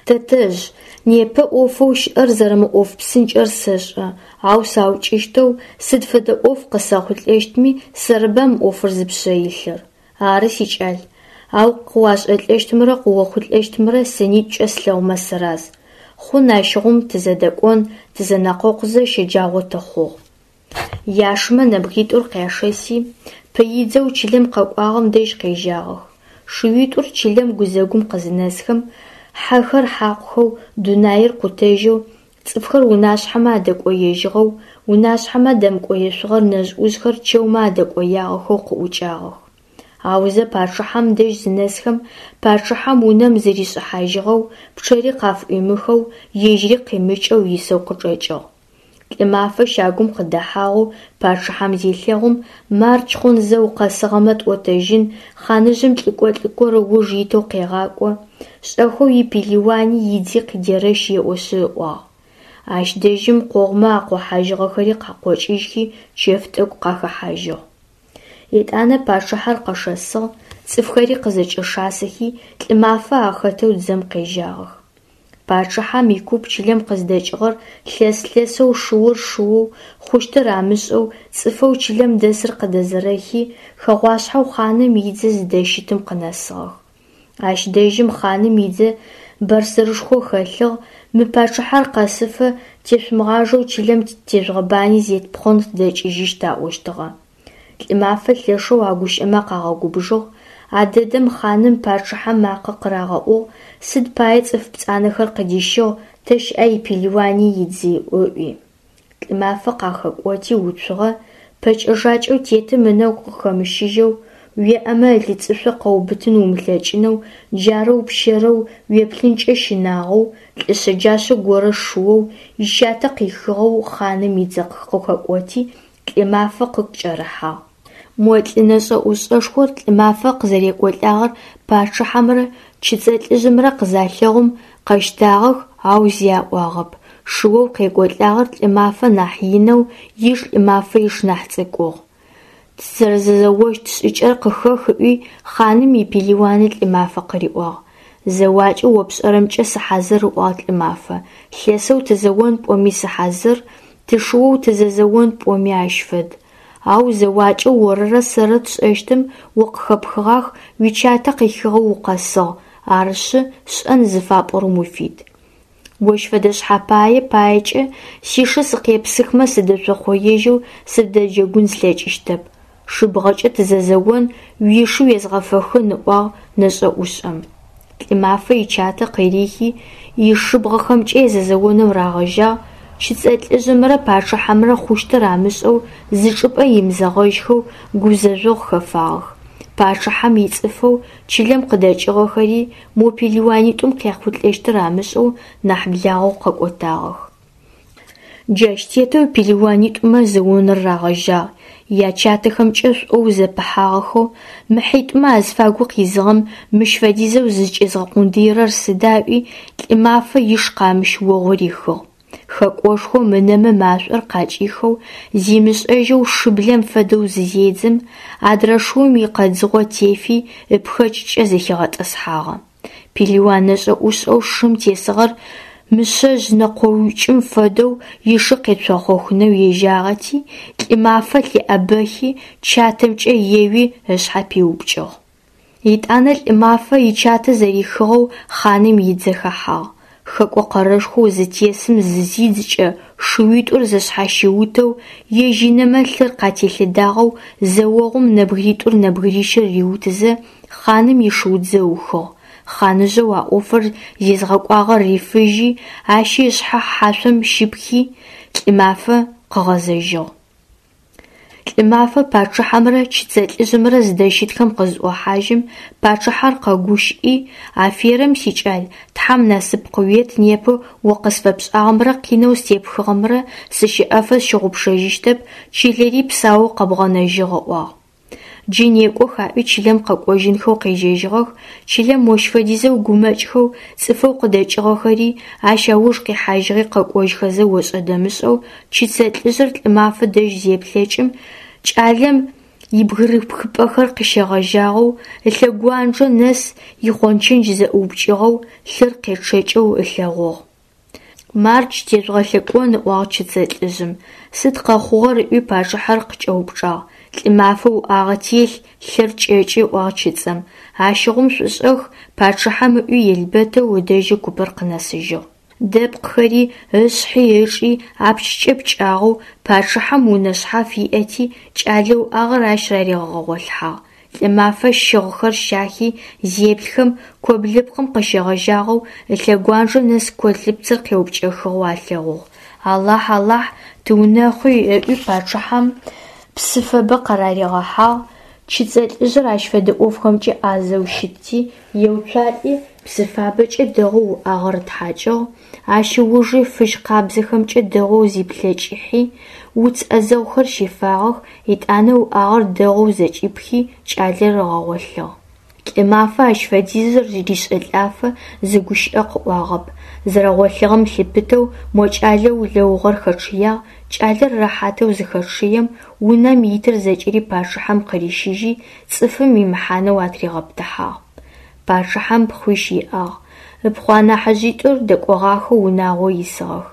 Тэтэжъ, непэ ӏофэу щыӏэр зэрэмыӏоф псынкӏэр сэшӏэ, ау саукӏыщтэу сыд фэдэ ӏоф къысэхъулӏэщтми сэрыба мы ӏофыр зыпшъэ илъыр. Ары, сикӏал, ау къыуашӏэлӏэщтымрэ къыохъулӏэщтымрэ сынитӏукӏэ слъэгъумэ сыраз. Хъун ащыгъум тызэдэкӏон, тызэнэкъокъузэ щэджагъо тыхъугъ. Яшымэ нэбгыритӏур къяшэси, пыидзэу чылэм къэкӏуагъэм дэжь къежьагъэх. Шыуитӏур чылэм гузэгум къызынэсхэм, хьэхэр хьакъухэу, дунаир къутэжьэу, цӏыфхэр унашъхьэмэ адэкӏоежьыгъэу, унашъхьэмэ адэмыкӏоешъугъэр нэжъ-ӏужъхэр чэумэ адэкӏоягъэхэу къыӏукӏагъэх. Аузэ пачъыхьэм дэжь зынэсхэм, пачъыхьэм унэм зыришӏыхьажьыгъэу, пчъэри къафыӏуимыхэу, ежьыри къимыкӏэу исэу къычӏэкӏыгъ. Лӏымафэ щагум къыдэхьагъэу пачъыхьэм зелъэгъум, мардж хъун зэ укъэсыгъэмэ тӏотэжьын, хъаныжъым лӏыкӏо лӏыкӏор ыуж итэу къегъакӏо, шӏэхэу ипелыуани идзи къыдерэщ еӏошъы ыӏуагъ. Ащ дэжьым къогъумэ акъохьажьыгъэхэри къакъокӏыжьхи чэф тӏэкӏу къахэхьажьыгъ. Етӏанэ пачъыхьэр къэшэсыгъ, цӏыфхэри къызэкӏэшасэхи Лӏымафэ ахэтэу дзэм къежьагъэх. Пачъыхьэм икуп чылэм къыздэкӏыгъэр лъэс-лъэсэу шыур шыоу, хъущтыр амышӏэу, цӏыфэу чылэм дэсыр къыдэзэрэхи, хэгъуашъхьэу хъаным идзэ зыдэщытым къынэсыгъэх. Ащ дэжьым хъаным идзэ бэрсэрышхо хэлъыгъ, мы пачъыхьэр къэсыфэ тешъумыгъажэу чылэм тежъугъэбани зетпхъон тыдэкӏыжьыщт аӏощтыгъэ. Лӏымафэ лъэшэу а гущыӏэмэ къагъэгубжыгъ. А дэдэм хъаным пачъыхьэм макъэ къырагъэӏугъ: «Сыд пае цӏыф пцӏанэхэр къыдищыгъ, тэ щыӏа ипелыуани идзи?» ыӏуи. Лӏымафэ къахэкӏоти уцугъэ, пэкӏэ-жакӏэу тетым ынэгу къыхэмыщыжьэу, уеӏэмэ ылыцӏышъо къэуубытын умылъэкӏынэу, джарэу пщэрэу, уеплъынкӏэ щынагъоу, лӏы шъэджашъэ горэ шыоу, ичатэ къихыгъэу хъаным идзэ къыхэкӏоти, Лӏымафэ къыкӏэрыхьагъ. Мо лӏы нэшӏэ-ӏушӏэшхор Лӏымафэ къызэрекӏолӏагъэр пачъыхьэмрэ чыцэ лӏыжъымрэ къызалъэгъум, къэщтагъэх, ау зи аӏуагъэп. Шыоу къекӏолӏагъэр Лӏымафэ нахь инэу, иш Лӏымафэ иш нахь цӏыкӏугъ. Тызэрэзэощт шӏыкӏэр къыхэх ыӏуи, хъаным ипелыуаны Лӏымафэ къыриӏуагъ. Зэуакӏэу о пшӏэрэмкӏэ сыхьазыр, ыӏуагъ Лӏымафэ. Лъэсэу тызэон пӏоми сыхьазыр, тышыоу тызэзэон пӏоми ащ фэд. Ау зэуакӏэу орырэ сэрырэ тшӏэщтым о къыхэпхыгъах, уичатэ къихыгъэу укъэсыгъ, арышъы, шӏэн зыфапӏорэм уфит. Ощ фэдэ шъхьэпае паекӏэ сишы сыкъепсыхмэ сыдэшъохъоежьэу сыбдэджэгун слъэкӏыщтэп. Шыбгъэкӏэ тызэзэон, уишы уезгъэфэхын, ыӏуагъ нэшӏэ-ӏушӏэм. Лӏымафэ ичатэ къырихи, ишыбгъэхэмкӏэ зэзэонэу рагъэжьагъ, чыцэ лӏыжъымрэ пачъыхьэмрэ хъущтыр амышӏэу зы чӏыпӏэ имызэгъэжьхэу гузэжъогъу хэфагъэх. Пачъыхьэм ицӏыфэу чылэм къыдэкӏыгъэхэри мо пелыуанитӏум къяхъулӏэщтыр амышӏэу нахь благъэу къэкӏотагъэх. Джащ тетэу пелыуанитӏумэ зэоныр рагъэжьагъ, ячатэхэмкӏэ шӏоу зэпыхьагъэхэу, мы хьитӏумэ азыфагу къизыгъэм мыщ фэдизэу зызкӏезгъэкъундыирэр сыда ыӏуи, Лӏымафэ иш къамыщ огъу рихыгъ. Хэкӏошхом ынэмэ машӏор къакӏихэу, зимышӏэжьэу шыблэм фэдэу зызедзым, адрэ шыум икъэдзыгъо тефи, ыпхэкӏкӏэ зэхигъэтӏысхьагъэ. Пелыуан нэшӏэ-ӏушӏэу шым тесыгъэр мышъэжъ нэкъоукӏым фэдэу ишы къецохъохынэу ежьагъэти, Лӏымафэ лъыӏэбэхи, чатэмкӏэ еуи ышъхьэ пиупкӏыгъ. Етӏанэ Лӏымафэ ичатэ зэрихыгъэу хъаным идзэ хэхьагъ. Хэкӏо къэрэшхоу зытесым зызидзкӏэ, шыуитӏур зэшъхьащиутэу, ежь ынэмэ лъыр къателъэдагъэу зэогъум нэбгыритӏур нэбгырищыр риутызэ, хъаным ишыудзэ ыухыгъ. Хъаныжъэу а ӏофыр зезгъэкӏуагъэр рифыжьи, ащи ышъхьэ хьашъом щипхи, Лӏымафэ къыгъэзэжьыгъ. Лӏымафэ пачъыхьэмрэ чыцэ лӏыжъымрэ зыдэщытхэм къызӏохьажьым, пачъыхьэр къэгущыӏи: «Аферэм, сикӏал, Тхьэм насып къыует, непэ о къысфэпшӏагъэмрэ къинэу степхыгъэмрэ сыщэӏэфэ сщыгъупшэжьыщтэп, чылэри псаоу къэбгъэнэжьыгъ», ыӏуагъ. Джы некӏох аӏуи чылэм къэкӏожьынхэу къежьэжьыгъэх, чылэм мощ фэдизэу гумэкӏхэу, цӏыфэу къыдэкӏыгъэхэри, ащ ауж къихьажьыгъи къэкӏожьхэзэ ошӏэ-дэмышӏэу чыцэ лӏыжъыр Лӏымафэ дэжь зеплъэкӏым, кӏалэм ибгырыпхыпӏэхэр къыщегъэжьагъэу ылъэгуанджэ нэс ихъончындж зэӏыупкӏыгъэу, лъыр къечъэкӏэу ылъэгъугъ. «Мардж, тежъугъэлъэкӏон», ыӏуагъ чыцэ лӏыжъым. Сыд къэхъугъэр ыӏуи пачъыхьэр къыкӏэупчӏагъ. Лӏымафэ уӏагъэ телъ, лъыр кӏэкӏы, ыӏуагъ чыцэм. Ащыгъум шъушӏэх, пачъыхьэм ыӏуи елбэтэу ыдэжьы купыр къынэсыжьыгъ. Дэпкъхэри, ышъхьи ычӏи апчкӏэ пкӏагъэу, пачъыхьэм унэ шъхьаф иӏэти, кӏалэ уӏагъэр ащ раригъэгъэлъхьагъ. Лӏымафэ щыгъхэр щахи зеплъхэм, коблыпкъым къыщегъэжьагъэу ылъэгуанджэ нэс колыпцыр къеупкӏэхыгъэу алъэгъугъ. Алахь, Алахь, тыунэхъуи, ыӏуи пачъыхьэм псы фабэ къараригъэхьагъ, чыцэ лӏыжъыр ащ фэдэ ӏофхэмкӏэ ӏазэу щытти, еуцуалӏи, псы фабэкӏэ дэгъоу уӏагъэр ытхьакӏыгъ, ащ ыужи фыжь къабзэхэмкӏэ дэгъоу зиплъэкӏыхьи, уц ӏэзэгъухэр щифагъэх, етӏанэ уӏагъэр дэгъоу зэкӏипхи, кӏалэр ыгъэгъолъыгъ. Лӏымафэ ащ фэдизыр ришӏэлӏафэ зы гущыӏэ къыӏуагъэп. Зэрэгъолъыгъэм лъыпытэу мо кӏалэу улэугъэр хэчъыягъ, кӏалэр рэхьатэу зыхэчъыем, унэм итыр зэкӏэри пачъыхьэм къырищыжьи, цӏыфым имыхьанэу атыригъэпытыхьагъ. Пачъыхьэм пхъуищ иӏагъ. Ыпхъу анахьыжъитӏур дэкӏогъахэу унагъо исыгъэх.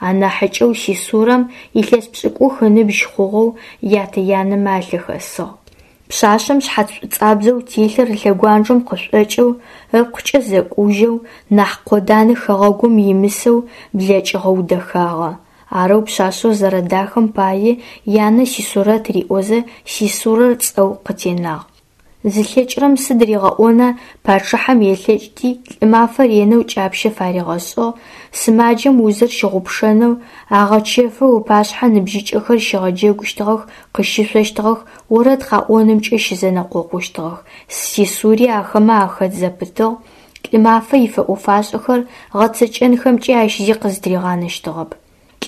Анахьыкӏэу Сисурэм илъэс пшӏыкӏух ыныбжь хъугъэу ятэ-янэмэ алъыхэсыгъ. Пшъашъэм шъхьац шӏуцӏабзэу телъыр ылъэгуанджэм къышӏокӏэу, ыпкъыкӏэ зэкӏужьэу, нахь къоданэ хэгъэгум имысэу блэкӏыгъэу дэхагъэ. Арэу пшъашъэр зэрэдахэм пае янэ Сисурэт риӏозэ Сисурэр цӏэу къытенагъ. Зылъэкӏырэм сыд ригъэӏона, пачъыхьэм елъэкӏти Лӏымафэ ренэу кӏапщэ фаригъэшӏыгъ, сымаджэм узыр щыгъупшэнэу, агъэчэфэу ыпашъхьэ ныбжьыкӏэхэр щигъэджэгущтыгъэх, къыщышъощтыгъэх, орэд къэӏонымкӏэ щызэнэкъокъущтыгъэх. Сисури ахэмэ ахэт зэпытыгъ, Лӏымафэ ифэӏо-фашӏэхэр гъэцэкӏэнхэмкӏи ащ зи къызтыригъанэщтыгъэп.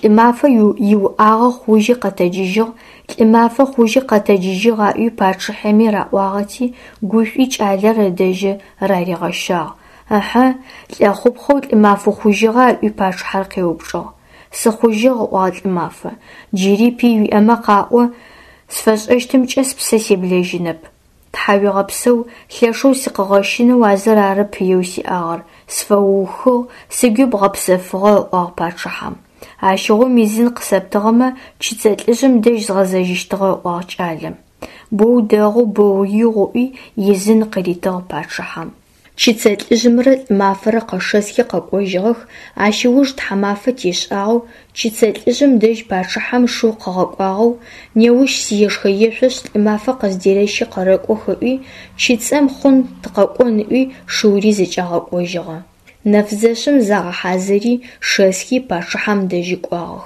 Лӏымафэ иуӏагъэ хъужьи къэтэджыжьыгъ, Лӏымафэ хъужьи къэтэджыжьыгъ аӏуи пачъыхьэми раӏуагъэти, гушӏуи кӏалэр ыдэжьы раригъэщагъ. Ыхьы, лӏэхъупхъэу Лӏымаф ухъужьыгъа? – ыӏуи пачъыхьэр къеупчӏыгъ. Сыхъужьыгъ, – ыӏуагъ Лӏымафэ. Джыри пый уиӏэмэ къаӏо, сфэшӏэщтымкӏэ спсэ себлэжьынэп. Тхьауегъэпсэу, лъэшэу сыкъыгъэщынэу а зыр ары пыеу сиӏагъэр, сфэуухыгъ, сыгуи бгъэпсэфыгъэ, – ыӏуагъ пачъыхьэм. Ащыгъум ӏизын къысэптыгъэмэ, чыцэ лӏыжъым дэжь згъэзэжьыщтыгъэ, – ыӏуагъ кӏалэм. Боу дэгъу, боу игъу, – ыӏуи ӏизын къыритыгъ пачъыхьэм. Чыцэ лӏыжъымрэ Лӏымафэрэ къэшэсхи къэкӏожьыгъэх. Ащ ыуж тхьамафэ тешӏагъэу чыцэ лӏыжъым дэжь пачъыхьэм шыу къыгъэкӏуагъэу «Неущ сиешхэ-ешъошъ, Лӏымафэ къыздерэщи къэрэкӏох» ыӏуи, чыцэм «Хъун, тыкъэкӏон» ыӏуи, шыури зэкӏагъэкӏожьыгъэ. Нэфзэщым загъэхьазыри шэсхи пачъыхьэм дэжьы кӏуагъэх.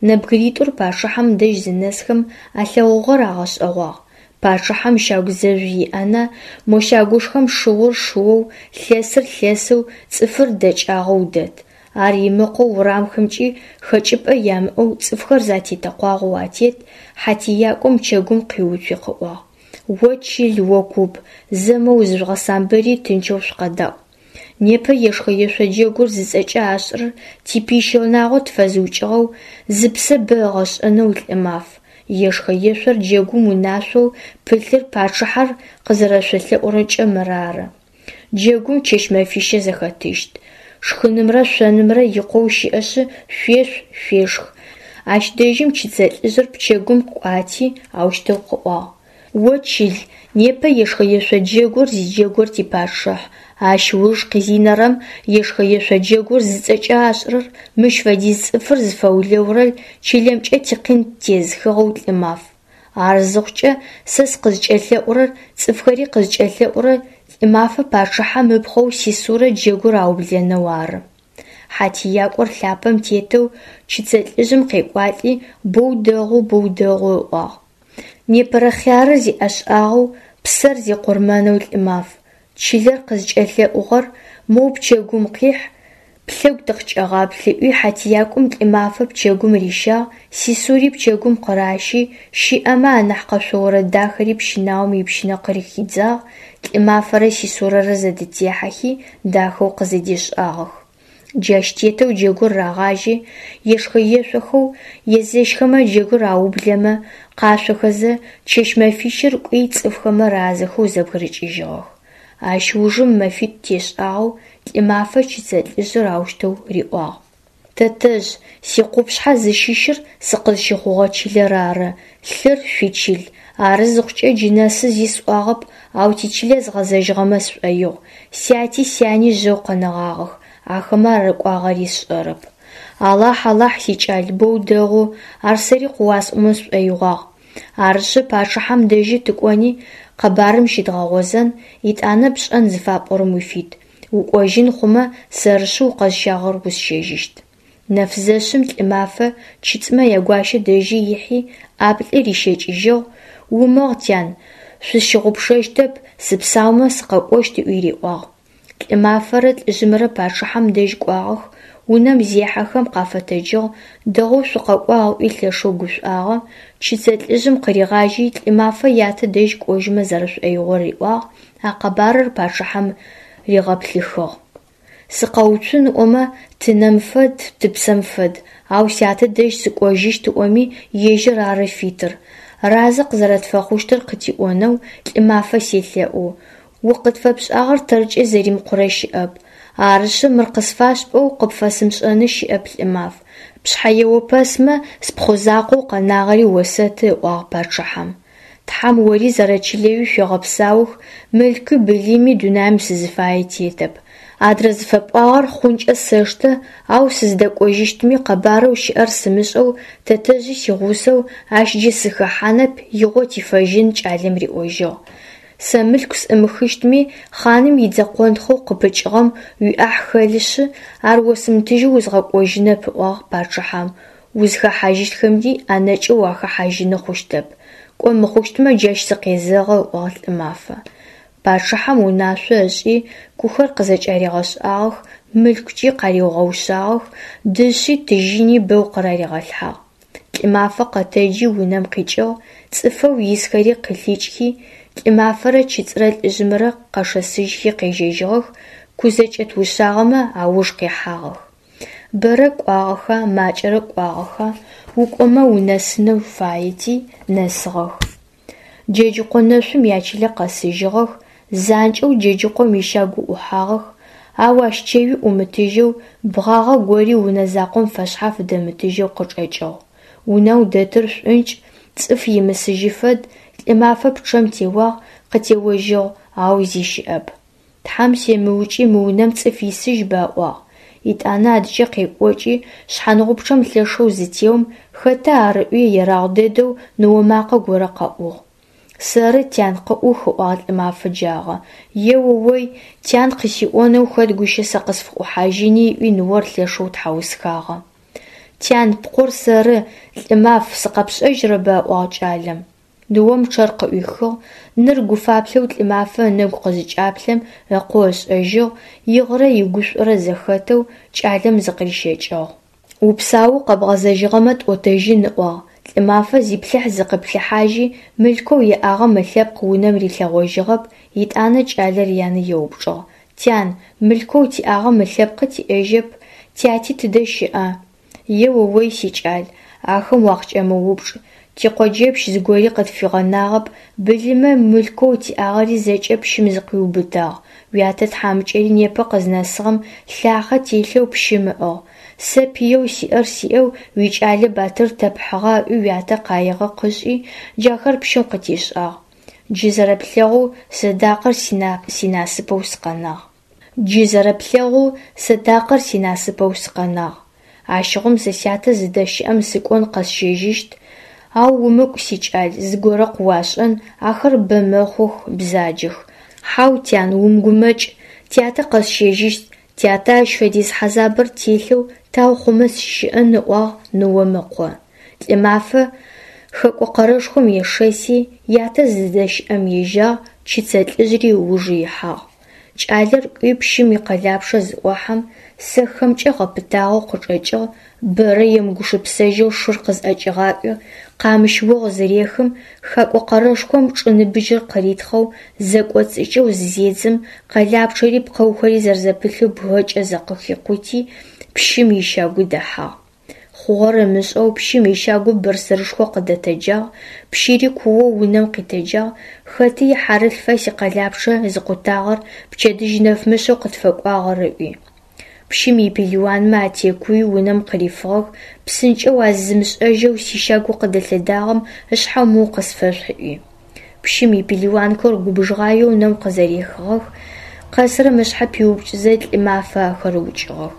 Нэбгыритӏур пачъыхьэм дэжь зынэсхэм алъэгъугъэр агъэшӏэгъуагъ. Пачъыхьэм щагу зэжъу иӏэна, мо щагушхом шыур шыоу, лъэсыр лъэсэу, цӏыфыр дэкӏагъэу дэт. Ар имыкъоу урамхэмкӏи хэкӏыпӏэ ямыӏэу цӏыфхэр зэтетэкъуагъэу атет. Хьатиякӏом пчэгум къиуцуи къыӏуагъ: О чыл, о куп, зэ моу зыжъугъэсамбыри тынчэу шъукъэдаӏу. Непэ ешхэ-ешъо джэгур зыцӏэкӏэ ашӏырэр типый щынагъо тфэзыукӏыгъэу, зыпсэ бэ ыгъэшӏэнэу Лӏымаф. Ешхэ-ешъор джэгум унашъоу пылъыр пачъыхьэр къызэрэшъолъэӏурэмкӏэ мырары. Джэгум чэщ-мэфищэ зэхэтыщт. Шхынымрэ шъонымрэ икъоу щыӏэшъы шъуешъу, шъуешх. Ащ дэжьым чыцэ лӏыжъыр пчэгум къыкӏуати аущтэу къыӏуагъ: О чыл, непэ ешхэ-ешъо джэгур зиджэгур типачъыхь. Ащ ыуж къизынэрэм ешхэ-ешъо джэгур зыцӏэкӏэ ашӏырэр мыщ фэдиз цӏыфыр зыфэулэурэ чылэмкӏэ тикъин ттезыхыгъэу Лӏымаф. Ар зыхъукӏэ сэ сыкъызкӏэлъэӏурэр, цӏыфхэри къызкӏэлъэӏурэр Лӏымафэ пачъыхьэм ыпхъоу Сисурэ джэгур аублэнэу ары. Хьатиякӏор лъапэм тетэу чыцэ лӏыжъым къекӏуалӏи «Боу дэгъу, боу дэгъу» ыӏуагъ. Непэрэ хъярыр зиӏэшӏагъэу, псэр зикъурмэнэу Лӏымаф, чылэр къызкӏэлъэӏугъэр моу пчэгум къихь, плъэгу тыкъыкӏэгъаплъ, ыӏуи хьатиякӏом Лӏымафэ пчэгум рищагъ, Сисури пчэгум къыращи, щыӏэмэ анахь къэшъо орэд дахэри пщынаом ипщынэ къыхидзагъ, Лӏымафэрэ Сисурэрэ зэдытехьэхи дахэу къызэдешӏагъэх. Джащ тетэу джэгур рагъажьи, ешхэ-ешъохэу, езэщхэмэ джэгур аублэмэ, къашъохэзэ, чэщ-мэфищыр кӏуи цӏыфхэмэ разэхэу зэбгырыкӏыжьыгъэх. Ащ ужым мэфитӏу тешӏагъэу Лӏымафэ чыцэ лӏыжъыр аущтэу риӏуагъ: Тэтэжъ, сикъупшъхьэ зыщыщыр сыкъызщыхъугъэ чылэр ары, лъыр шъуичыл. Ары зыхъукӏэ джы нэсы зи сӏуагъэп, ау тичылэ згъэзэжьыгъэмэ сшӏоигъу. Сяти сяни жъэу къэнэгъагъэх, ахэмэ арыкӏуагъэри сшӏэрэп. Алахь, Алахь, сикӏал, боу дэгъу, ар сэри къыуасӏомэ сшӏоигъуагъ. Арышъы, пачъыхьэм дэжьы тыкӏони къэбарым щыдгъэгъозэн, етӏанэ пшӏэн зыфапӏорэм уфит. Укӏожьын хъумэ, сэрышъы укъэзыщагъэр усщэжьыщт. Нэфзэщым Лӏымафэ чыцмэ ягуащэ дэжьы ихьи ӏаплӏи рищэкӏыжьыгъ: «Умыгъ, тян, шъусщыгъупшэщтэп, сыпсаумэ сыкъэкӏощт» ыӏуи риӏуагъ. Лӏымафэрэ лӏыжъымрэ пачъыхьэм дэжь кӏуагъэх, унэм зехьэхэм къафэтэджыгъ, дэгъоу шъукъэкӏуагъ ыӏуи лъэшэу гушӏуагъэ. Чыцэ лӏыжъым къыригъажьи Лӏымафэ ятэ дэжь кӏожьымэ зэрэшӏоигъор риӏуагъ, а къэбарыр пачъыхьэм ригъэплъыхыгъ. Сыкъэуцун ыӏомэ, тынэм фэд, тыпсэм фэд, ау сятэ дэжь сыкӏожьыщт ыӏоми, ежьыр ары фитыр. Разэ къызэрэтфэхъущтыр къытиӏонэу Лӏымафэ селъэӏу. О къытфэпшӏагъэр тэркӏэ зэримыкъурэ щыӏэп. Арышъы, мыр къысфашӏ пӏоу къыпфэсымышӏэны щыӏэп, Лӏымаф. Пшъхьэ еопэсмэ, спхъу закъоу къэнагъэри осэты, ыӏуагъ пачъыхьэм. Тхьэм ори зэрэчылэуи шъуегъэпсаух, мылъкуи былыми дунаим сызыфае тетэп. Адрэ зыфэпӏуагъэр хъункӏэ сэштэ, ау сыздэкӏожьыщтми къэбарэу щыӏэр сымышӏэу, тэтэжъи сигъусэу, ащ джы сыхэхьанэп, игъо тифэжьын, кӏалэм риӏожьыгъ. Сэ мылъку сӏымыхыщтми, хъаным идзэ къонтхъоу къыпыкӏыгъэм уиӏахь хэлъышъы, ар осымытыжьэу узгъэкӏожьынэп, ыӏуагъ пачъыхьэм, узхэхьажьыщтхэми ӏэнэкӏэу уахэхьажьыны хъущтэп. Кӏо мыхъущтмэ, джащ сыкъезэгъы, ыӏуагъ Лӏымафэ. Пачъыхьэм унашъо ышӏи, кухэр къызэкӏаригъэшӏагъэх, мылъкукӏи къариугъэушъагъэх, дышъи тыжьыни бэу къыраригъэлъхьагъ. Лӏымафэ къэтэджи унэм къикӏыгъ, цӏыфэу исхэри къылъикӏхи, Лӏымафэрэ Чыцӏырэ лӏыжъымрэ къэшэсыжьхи къежьэжьыгъэх, ку зэкӏэт ушъагъэмэ ауж къихьагъэх. Бэрэ кӏуагъэха, макӏэрэ кӏуагъэха, укӏомэ унэсынэу фаети, нэсыгъэх. Джэджыкъо нэшъум ячылэ къэсыжьыгъэх, занкӏэу Джэджыкъом ищагу ӏухьагъэх, ау ащ чэуи ӏумытыжьэу, бгъагъэ гори унэ закъом фэшъхьаф дэмытыжьэу къычӏэкӏыгъ. Унэу дэтыр шӏункӏ, цӏыф имысыжьы фэд, Лӏымафэ пчъэм теуагъ, къытеожьыгъ, ау зи щыӏэп. Тхьэм семыукӏи мы унэм цӏыф исыжьба, ыӏуагъ. Етӏанэ адыкӏэ къекӏокӏи, шъхьангъупчъэм лъэшэу зытеом, хэта ар ыӏуи ерагъ дэдэу ныо макъэ горэ къэӏугъ. Сэры, тян, къыӏух, ыӏуагъ Лӏымафэ джагъэ. Еоой, тян къысиӏонэу хэт гущэ сэ къысфыӏухьажьыни, ыӏуи ныор лъэшэу тхьаусхагъэ. Тян, пкъор сэры, Лӏымаф, сыкъэпшӏэжьырэба, ыӏуагъ кӏалэм. Ныом пчъэр къыӏуихыгъ, ныр гуфаплъэу Лӏымафэ ынэгу къызыкӏаплъэм ыкъо ышӏэжьыгъ, игъырэ игушӏорэ зэхэтэу кӏалэм зыкъырищэкӏыгъ. Упсаоу къэбгъэзэжьыгъэмэ тӏотэжьын, ыӏуагъ. Лӏымафэ зиплъыхь-зыкъиплъыхьажьи, мылъкоу иӏагъэм ылъэпкъ унэм рилъэгъожьыгъэп, етӏанэ кӏалэр янэ еупчӏыгъ: Тян, мылъкоу тиӏагъэм ылъэпкъы тиӏэжьэп, тяти тыдэ щыӏа? Еоой, сикӏал, ахэм уакъыкӏэмыупчӏ, тикъоджэпщ зыгори къытфигъэнагъэп, былымэу мылъкоу тиӏагъэри зэкӏэ пщым зыкъуиубытагъ, уятэ тхьамыкӏэри непэ къызнэсыгъэм лъахъэ телъэу пщым ыӏыгъ. Сэ пыеу сиӏэр сиӏэу уикӏалэ батыр тэ пхьыгъа ыӏуи уятэ къаигъэ къышӏи, джахэр пщым къытишӏагъ. Джы зэрэплъэгъоу сэдакъэр синасыпэу сыкъэнагъ. Джы зэрэплъэгъоу сэдакъэр синасыпэу сыкъэнагъ. Ащыгъум сэ сятэ зыдэщыӏэм сыкӏон къэсщэжьыщт, ау умыкӏу, сикӏал, зыгорэ къыуашӏэн, ахэр бэ мэхъух, бзаджэх. Хьау, тян, умыгумэкӏ, тятэ къэсщэжьыщт, тятэ ащ фэдиз хьазабыр телъэу тау хъумэ сыщыӏэн, ыӏуагъ ныом ыкъо. Лӏымафэ хэкӏо къэрэшхом ешэси, ятэ зыдэщыӏэм ежьагъ, чыцэ лӏыжъри ыуж ихьагъ. Кӏалэр кӏуи пщым икъэлапчъэ зыӏохьэм, сэхэмкӏэ гъэпытагъэу къычӏэкӏыгъ, бэрэ емыгупшысэжьэу шыр къызӏэкӏигъакӏуи, къамыщ огъу зырехым, хакӏо къэрэшхом чӏы ныбыджыр къыритхъэу, зэкӏоцӏыкӏэу зызедзым, къэлапчъэри пкъэухэри зэрэзэпылъэу бгэкӏэ зэкъыхикъути, пщым ищагу дэхьагъ. Хъугъэр ымышӏэу пщым ищагу бырсырышхо къыдэтэджагъ, пщыри куоу унэм къитэджагъ, хэты ихьарылъфа сикъэлапчъэ зыкъутагъэр, пчэдыжь нэфмышъэу къытфэкӏуагъэр ыӏуи. Пщым ипелыуанмэ атекуи унэм къырифыгъэх, псынкӏэу а зызымышӏэжьэу сищагу къыдэлъэдагъэм ышъхьэ моу къысфэшъухь ыӏуи. Пщым ипелыуанхэр губжыгъаеу унэм къызэрехыгъэх, къэсырэм ышъхьэ пиупкӏызэ Лӏымафэ ахэр ыукӏыгъэх.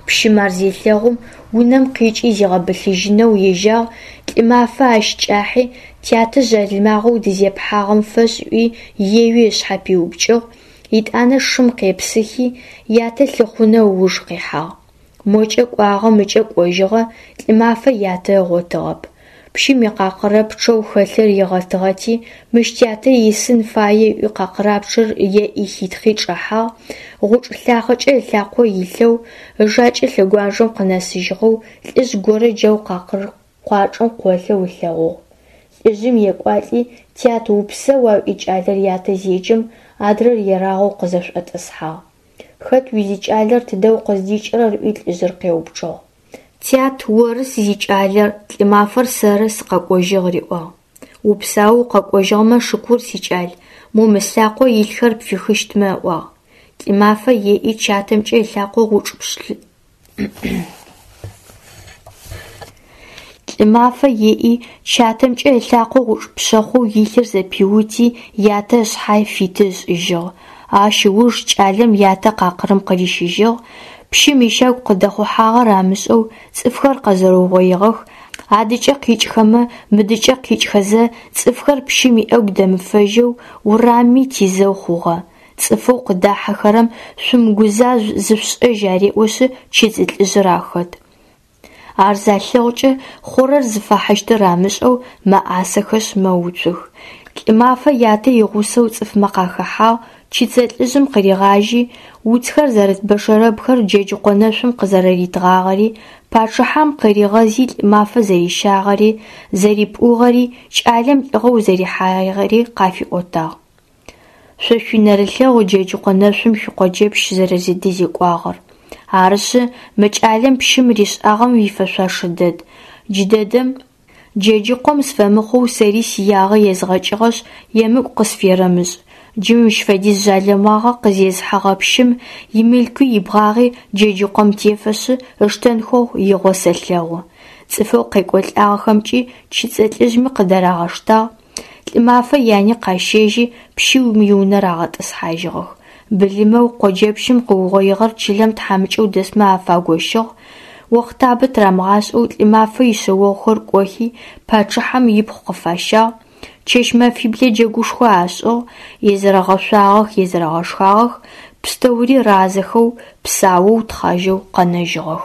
Пщым ар зелъэгъум, унэм къикӏи зигъэбылъыжьынэу ежьагъ, Лӏымафэ ащ кӏахьи, тятэ жъалымагъэу дызепхьагъэм фэшӏ ыӏуи, еуи ышъхьэ пиупкӏыгъ, етӏанэ шым къепсыхи, ятэ лъыхъунэу ыуж къихьагъ. Мокӏэ кӏуагъэ, мыкӏэ кӏожьыгъэ, Лӏымафэ ятэ ыгъотыгъэп. Пщым икъакъырэ пчъэу хэлъыр ригъэтыгъэти, мыщ тятэ исын фае ыӏуи къакъырапчъэр еӏи хитхъи чӏэхьагъ, гъучӏ лъахъэкӏэ ылъакъо илъэу, ыжакӏэ лъэгуажэм къынэсыжьыгъэу лӏыжъ горэ джау къакъыр къуачӏэм къолъэу ылъэгъугъ. Лӏыжъым екӏуалӏи, тят упсэуа ыӏуи кӏалэр ятэ зеджэм, адрэр ерагъэу къызэшӏотӏысхьагъ. Хэт узикӏалэр, тыдэ укъыздикӏырэр ыӏуи лӏыжъыр къеупчӏыгъ. Тят, оры сызикӏалэр, Лӏымафэр сэры, сыкъэкӏожьыгъ, риӏуагъ. Упсаоу укъэкӏожьыгъэмэ шыкур, сикӏал, мо мы слъакъо илъхэр пфихыщтмэ, ыӏуагъ. Лӏымафэ еӏи чатэмкӏэ ылъакъо гъучӏ Лӏымафэ еӏи, чатэмкӏэ ылъакъо гъучӏ пшъэхъоу илъыр зэпиути, ятэ ышъхьэ фиты ышӏыжьыгъ. Ащ ыуж кӏалэм ятэ къакъырым къырищыжьыгъ. Пщым ищагу къыдэхъухьагъэр амышӏэу цӏыфхэр къэзэрэугъоигъэх, адыкӏэ къикӏхэмэ, мыдыкӏэ къикӏхэзэ, цӏыфхэр пщым иӏэгу дэмыфэжьэу, урамми тизэу хъугъэ. Цӏыфэу къыдахьэхэрэм «шъумыгузажъу, зышъушӏэжь» ареӏошъы чыцӏы лӏыжъыр ахэт. Ар залъэгъукӏэ, хъурэр зыфахьыщтыр амышӏэу, мэӏасэхэшъ мэуцух. Лӏымафэ ятэ игъусэу цӏыфмэ къахэхьагъ, чыцэ лӏыжъым къыригъажьи, уцхэр зэрыт бэшэрэбхэр Джэджыкъо нэшъум къызэрэритыгъагъэри, пачъыхьэм къыригъэзи Лӏымафэ зэрищагъэри, зэрипӏугъэри, кӏалэм лӏыгъэу зэрихьагъэри къафиӏотагъ. Шъо шъуинэрылъэгъу Джэджыкъо нэшъум шъуикъоджэпщ зэрэдэзекӏуагъэр. Арышъы, мы кӏалэм пщым ришӏагъэм ифэшъошэ дэд. Джыдэдэм Джэджыкъом сыфэмыхъоу сэри сиягъэ езгъэкӏыгъэшъ, емыкӏу къысферэмышӏ. Джы мыщ фэдиз жъалымагъэ къызезыхьэгъэ пщым имылъкуи ибгъагъи Джэджыкъом тефэшъы, ыштэнхэу игъо сэлъэгъу. Цӏыфэу къекӏолӏагъэхэмкӏи чыцӏэ лӏыжъми къыдырагъэштагъ. Лӏымафэ яни къащэжьи, пщым иунэ рагъэтӏысхьажьыгъэх. Былымэу къоджэпщым къыугъоигъэр чылэм тхьамыкӏэу дэсмэ афагощыгъ. Охътабэ тырамыгъашӏэу Лӏымафэ ишъэогъухэр кӏохи, пачъыхьэм ипхъу къыфащагъ. Чэщ-мэфиблэ джэгушхо ашӏыгъ, езэрэгъэшъуагъэх, езэрэгъэшхагъэх, пстэури разэхэу, псаоу, тхъажьэу къэнэжьыгъэх.